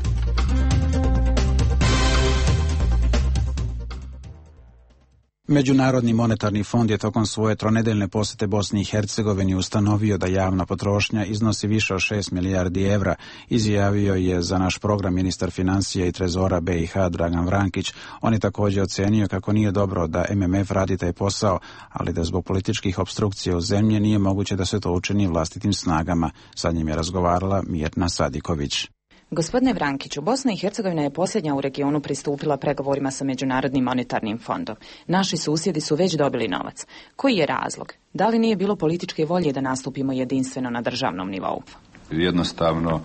Međunarodni monetarni fond je tokom svoje tronedeljne posete Bosni i Hercegovini ustanovio da javna potrošnja iznosi više od šest milijardi evra, izjavio je za naš program ministar financija i trezora be i ha Dragan Vrankić. On je također ocenio kako nije dobro da em em ef radi taj posao, ali da zbog političkih opstrukcija u zemlji nije moguće da se to učini vlastitim snagama. Sa njim je razgovarala Mirna Sadiković. Gospodine Vrankiću, Bosna i Hercegovina je posljednja u regionu pristupila pregovorima sa Međunarodnim monetarnim fondom. Naši susjedi su već dobili novac. Koji je razlog? Da li nije bilo političke volje da nastupimo jedinstveno na državnom nivou? Jednostavno,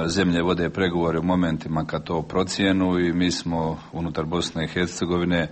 zemlje vode pregovore u momentima kad to procijenu i mi smo unutar Bosne i Hercegovine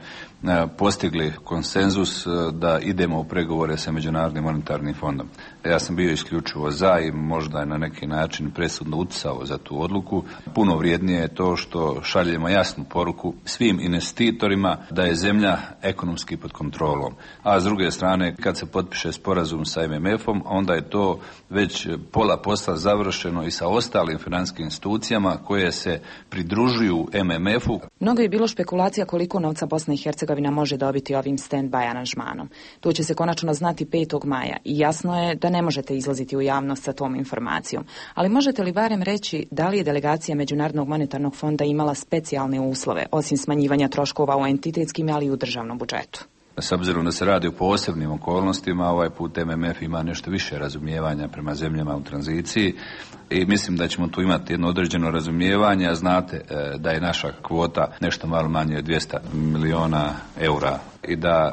postigli konsenzus da idemo u pregovore sa Međunarodnim monetarnim fondom. Ja sam bio isključivo za i možda je na neki način presudno utjecao za tu odluku. Puno vrijednije je to što šaljemo jasnu poruku svim investitorima da je zemlja ekonomski pod kontrolom. A s druge strane, kad se potpiše sporazum sa em em efom, onda je to već pola posla završeno i sa ostalim financijskim institucijama koje se pridružuju em em efu. Mnogo je bilo špekulacija koliko novca Bosna i Hercegovina može dobiti ovim stand-by aranžmanom. To će se konačno znati petog maja i jasno je da ne možete izlaziti u javnost sa tom informacijom. Ali možete li barem reći da li je delegacija Međunarodnog monetarnog fonda imala specijalne uslove, osim smanjivanja troškova u entitetskim, ali i u državnom budžetu? S obzirom da se radi o posebnim okolnostima, ovaj put em em ef ima nešto više razumijevanja prema zemljama u tranziciji i mislim da ćemo tu imati jedno određeno razumijevanje, a znate da je naša kvota nešto malo manje od dvjesto miliona eura i da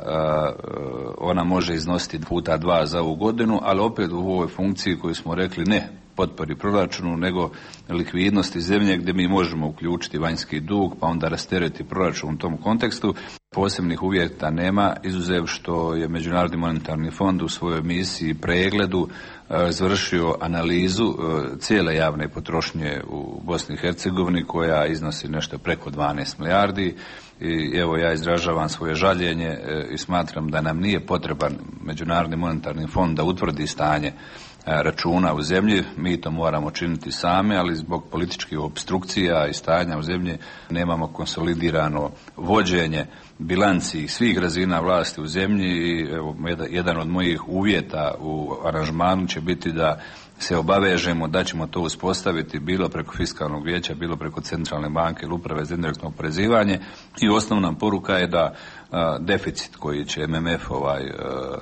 ona može iznositi puta dva za ovu godinu, ali opet u ovoj funkciji koju smo rekli ne potpori proračunu, nego likvidnosti zemlje gdje mi možemo uključiti vanjski dug, pa onda rastereti proračun u tom kontekstu. Posebnih uvjeta nema, izuzev što je Međunarodni monetarni fond u svojoj misiji pregledu izvršio analizu cijele javne potrošnje u Bosni i Hercegovini koja iznosi nešto preko dvanaest milijardi. I evo ja izražavam svoje žaljenje i smatram da nam nije potreban Međunarodni monetarni fond da utvrdi stanje računa u zemlji, mi to moramo činiti sami, ali zbog političkih opstrukcija i stanja u zemlji nemamo konsolidirano vođenje bilanci svih razina vlasti u zemlji i evo, jedan od mojih uvjeta u aranžmanu će biti da se obavežemo da ćemo to uspostaviti bilo preko fiskalnog vijeća, bilo preko centralne banke ili uprave za indirektno oporezivanje i osnovna poruka je da a, deficit koji će M M F ovaj, a,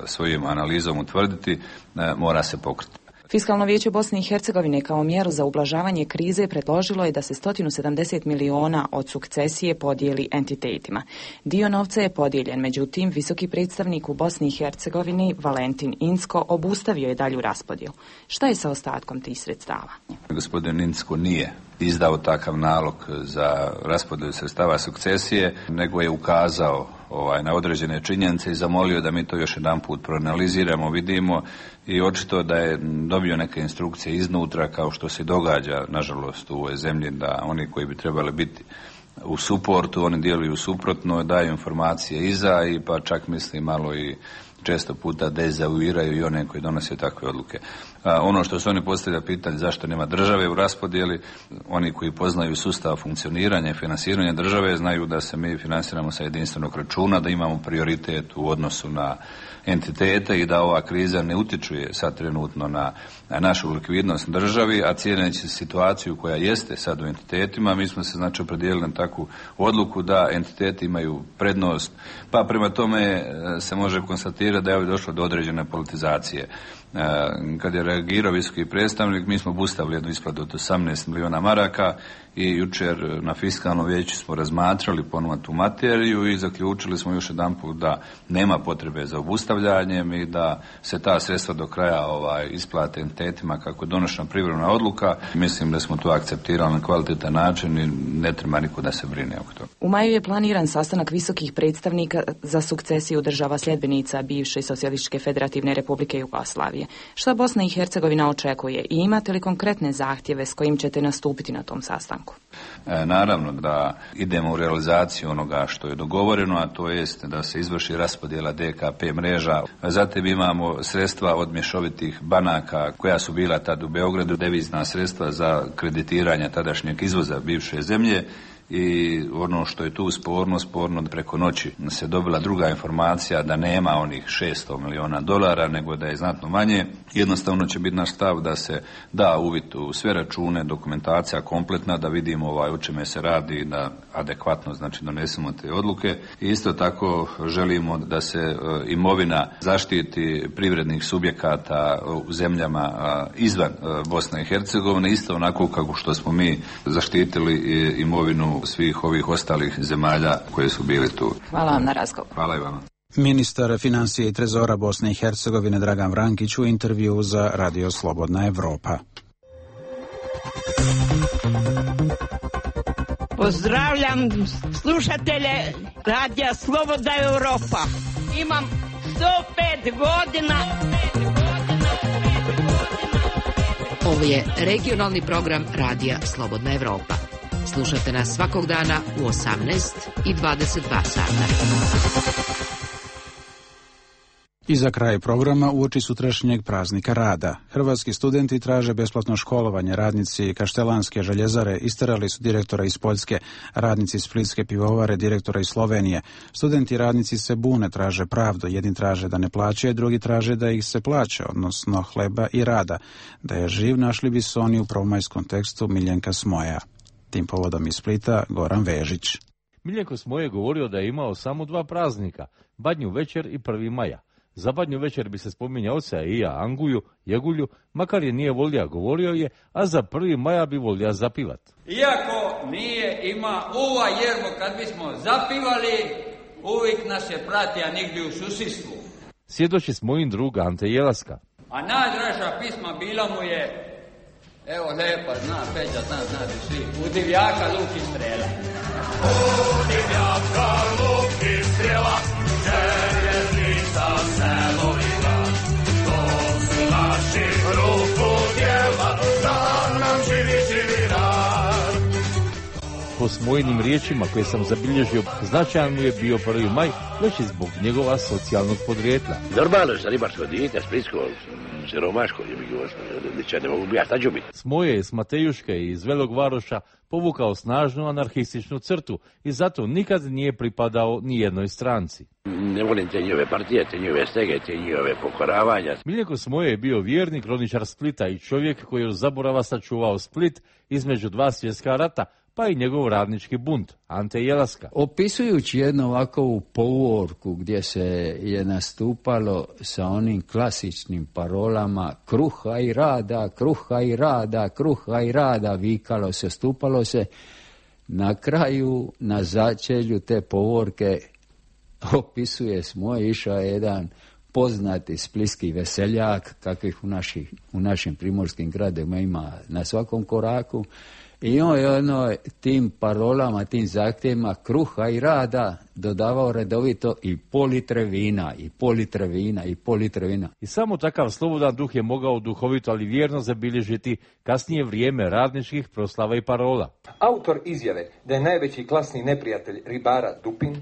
svojim analizom utvrditi a, mora se pokriti. Fiskalno vijeće Bosne i Hercegovine kao mjeru za ublažavanje krize predložilo je da se sto sedamdeset miliona od sukcesije podijeli entitetima. Dio novca je podijeljen, međutim, visoki predstavnik u Bosni i Hercegovini Valentin Inzko obustavio je dalju raspodjelu. Šta je sa ostatkom tih sredstava? Gospodin Inzko nije izdao takav nalog za raspodjelu sredstava sukcesije, nego je ukazao ovaj, na određene činjenice i zamolio da mi to još jedan put proanaliziramo, vidimo i očito da je dobio neke instrukcije iznutra kao što se događa nažalost u ovoj zemlji da oni koji bi trebali biti u suportu, oni djeluju suprotno, daju informacije iza i pa čak mislim malo i često puta dezavuiraju i one koji donose takve odluke. A, ono što se oni postavlja pitanje zašto nema države u raspodjeli, oni koji poznaju sustav funkcioniranja i finansiranja države znaju da se mi finansiramo sa jedinstvenog računa, da imamo prioritet u odnosu na entitete i da ova kriza ne utječuje sad trenutno na, na našu likvidnost državi, a cijeneći situaciju koja jeste sad u entitetima, mi smo se znači opredijelili na takvu odluku da entiteti imaju prednost, pa prema tome se može konstatirati da je ovdje došlo do određene politizacije. Kad je reagirao visoki predstavnik, mi smo obustavili jednu isplatu od osamnaest milijuna maraka i jučer na fiskalnom vijeću smo razmatrali ponovno tu materiju i zaključili smo još jedanput da nema potrebe za obustavljanjem i da se ta sredstva do kraja ovaj, isplate entitetima kako je donošena privremena odluka. Mislim da smo to akceptirali na kvalitetan način i ne treba niko da se brine oko toga. U maju je planiran sastanak visokih predstavnika za sukcesiju država sljedbenica bivše Socijalističke federativne republike Jugoslavije. Šta Bosna i Hercegovina očekuje i imate li konkretne zahtjeve s kojim ćete nastupiti na tom sastanku? E, naravno da idemo u realizaciju onoga što je dogovoreno, a to jest da se izvrši raspodjela D K P mreža. Zatim imamo sredstva od mješovitih banaka koja su bila tad u Beogradu, devizna sredstva za kreditiranje tadašnjeg izvoza bivše zemlje. I ono što je tu sporno, sporno preko noći se dobila druga informacija da nema onih šesto milijuna dolara, nego da je znatno manje. Jednostavno će biti naš stav da se da uvid u sve račune, dokumentacija kompletna, da vidimo ovaj, o čime se radi i da adekvatno znači donesemo te odluke. I isto tako želimo da se e, imovina zaštiti privrednih subjekata u zemljama a, izvan e, Bosne i Hercegovine, isto onako kako što smo mi zaštitili e, imovinu svih ovih ostalih zemalja koje su bili tu. Hvala vam na razgovor. Hvala i vama. Ministar financije i trezora Bosne i Hercegovine Dragan Vrankić u intervju za Radio Slobodna Evropa. Pozdravljam slušatelje Radija Slobodna Evropa. Imam sto pet godina. Ovo je regionalni program Radija Slobodna Evropa. Slušajte nas svakog dana u osamnaest i dvadeset dva sata. I za kraj programa uoči sutrašnjeg praznika rada. Hrvatski studenti traže besplatno školovanje. Radnici Kaštelanske željezare isterali su direktora iz Poljske, radnici Splitske pivovare direktora iz Slovenije. Studenti i radnici se bune, traže pravdu. Jedni traže da ne plaćaju, drugi traže da ih se plaća, odnosno hleba i rada. Da je živ našli bi se oni u prvomajskom tekstu Miljenka Smoja. Tim povodom iz Splita Goran Vežić. Miljenko Smoj je govorio da je imao samo dva praznika, Badnju večer i prvi maja. Za Badnju večer bi se spominjao oca i ja Anguju, Jegulju, makar je nije volja, govorio je, a za prvi maja bi volja zapivat. Iako nije ima uva jermo kad bismo zapivali, uvijek nas je pratija nigdje u susjedstvu. Svjedoči Smojin drug Ante Jelaska. A najdraža pisma bila mu je Evo lepa, zna Peđa, zna, znate svi. U divljaka luk i strela. U divljaka luk i strela, željeznica selo i grad. To su naši ruku djela, da nam živi, živi rad. Po Smojinim riječima koje sam zabilježio, značajan mu je bio prvi maj, već i zbog njegova socijalnog podrijetla. Normalno sa ribarsko dijete, splitsko, siromaško, je mi govorio, ne mogu ja, šta ću biti? Smoje je s Matejuške i iz Velog Varoša povukao snažnu anarhističnu crtu i zato nikad nije pripadao ni jednoj stranci. Ne volim te njove partije, te njove stege, te njove pokoravanja. Miljenko Smoje je bio vjerni kroničar Splita i čovjek koji je od zaborava sačuvao Split između dva svjetska rata, pa i njegov radnički bunt, Ante Jelaska. Opisujući jednu ovakvu povorku gdje se je nastupalo sa onim klasičnim parolama kruha i rada, kruha i rada, kruha i rada, vikalo se, stupalo se, na kraju, na začelju te povorke opisuje Smoje, išao jedan poznati splitski veseljak, kakvih u, naši, u našim primorskim gradima ima na svakom koraku. I on je ono, tim parolama, tim zahtjevima kruha i rada dodavao redovito i pol litre vina, i pol litre vina, i pol litre vina. I samo takav slobodan duh je mogao duhovito, ali vjerno zabilježiti kasnije vrijeme radničkih proslava i parola. Autor izjave da je najveći klasni neprijatelj ribara Dupin,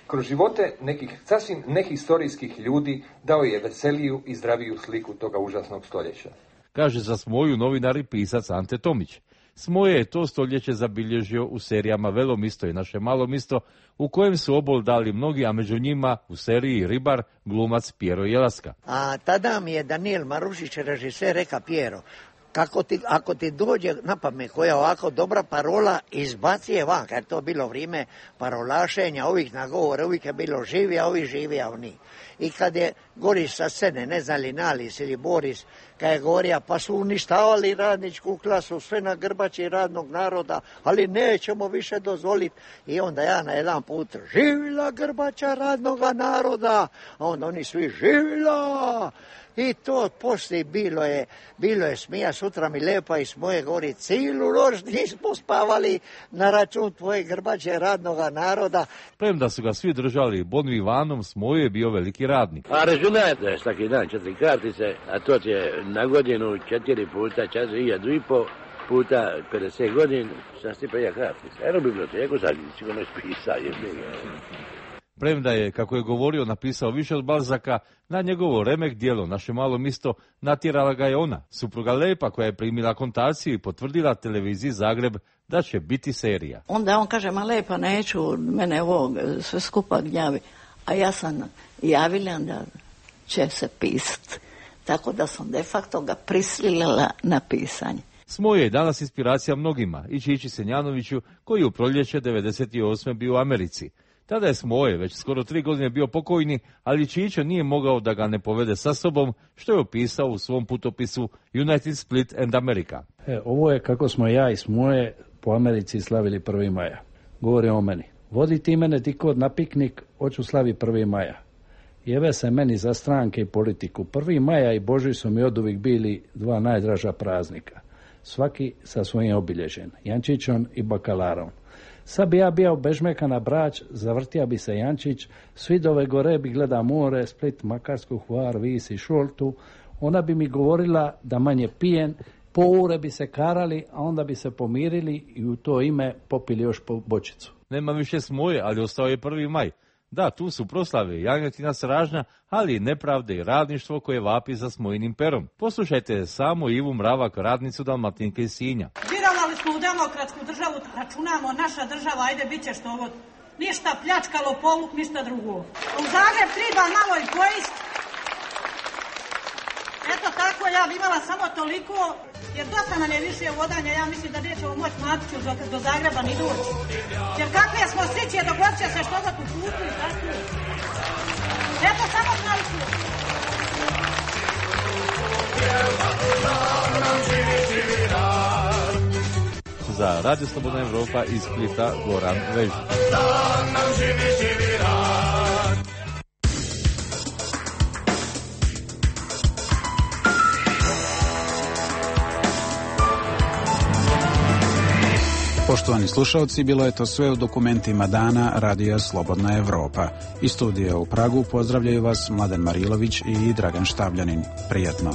kroz živote nekih sasvim nehistorijskih ljudi dao je veseliju i zdraviju sliku toga užasnog stoljeća. Kaže za Smoju novinar i pisac Ante Tomić. Smoje je to stoljeće zabilježio u serijama Velomisto i Naše malo misto, u kojem su obol dali mnogi, a među njima u seriji Ribar glumac Pjero Jelaska. A tada mi je Daniel Marušić, režiser, reka Pjero, kako ti, ako ti dođe na pamet koja ovako dobra parola, izbaci je van, jer to je bilo vrijeme parolašenja, ovih nagovore, uvijek je bilo živi, a ovi živi, a oni. I kad je Goris sa scene, ne znam li Nalis ili Boris, kad je govorio, pa su uništavali radničku klasu, sve na grbači radnog naroda, ali nećemo više dozvoliti. I onda ja na jedan put, živila grbača radnog naroda, a onda oni svi, živila. I to poslije bilo je, bilo je smija, sutra mi lepa i Smoje govori, cijelu noć nismo spavali na račun tvoje grbače radnoga naroda. Premda su ga svi držali Bonu Ivanom, Smoje je bio veliki radnik. A računajte svaki dan četiri kartice, a to će na godinu četiri puta čas i jedu i po puta pedeset godina, šta si prija kartice. Eno biblioteku sad sigurno ispisa je. Premda je, kako je govorio, napisao više od Balzaka, na njegovo remek djelo Naše malo misto natjerala ga je ona, supruga Lepa, koja je primila kontaciju i potvrdila televiziji Zagreb da će biti serija. Onda on kaže, ma Lepa, neću, mene ovo sve skupa gnjavi. A ja sam javila da će se pisati. Tako da sam de facto ga prisilila na pisanje. Smoje je danas inspiracija mnogima, i Čiči Senjanoviću, koji u proljeće devedeset osme bio u Americi. Tada je Smoje već skoro tri godine bio pokojni, ali Čičo nije mogao da ga ne povede sa sobom, što je opisao u svom putopisu United Split and America. E, ovo je kako smo ja i Smoje po Americi slavili prvi maja. Govori o meni. Vodi ti mene ti kod na piknik, hoću slavi prvi maja. Jeve se meni za stranke i politiku. prvi maja i Božić su mi oduvijek bili dva najdraža praznika. Svaki sa svojim obilježen, Jančićom i bakalarom. Sad bi ja bio bežmeka na Brač, zavrtija bi se Jančić, svi dove gore bi gleda more, Split, Makarsku, Hvar, Vis i Šoltu, ona bi mi govorila da manje pijen, po ure bi se karali, a onda bi se pomirili i u to ime popili još po bočicu. Nema više Smoje, ali ostao je prvi maj. Da, tu su proslave janjetina sražnja, ali i nepravde i radništvo koje vapi za Smojinim perom. Poslušajte samo Ivu Mravak, radnicu Dalmatinke iz Sinja. Vjerovali smo u demokratsku državu, računamo, naša država, ajde, bit će što ovo. Ništa pljačkalo, poluk, ništa drugo. U Zagreb treba malo i pojist. Eto tako, ja bi imala samo toliko, jer dosta nam je više vodanja, ja mislim da nećemo moći Matiću do, do Zagreba ni doći. Jer kakve smo sličije, dogod će se što za tu putu i tako. Eto samo toliko. Za Radio Slobodna Evropa iz Splita Goran Vež. Poštovani slušalci, bilo je to sve u dokumentima dana Radija Slobodna Evropa. Iz studija u Pragu pozdravljaju vas Mladen Marilović i Dragan Štabljanin. Prijatno.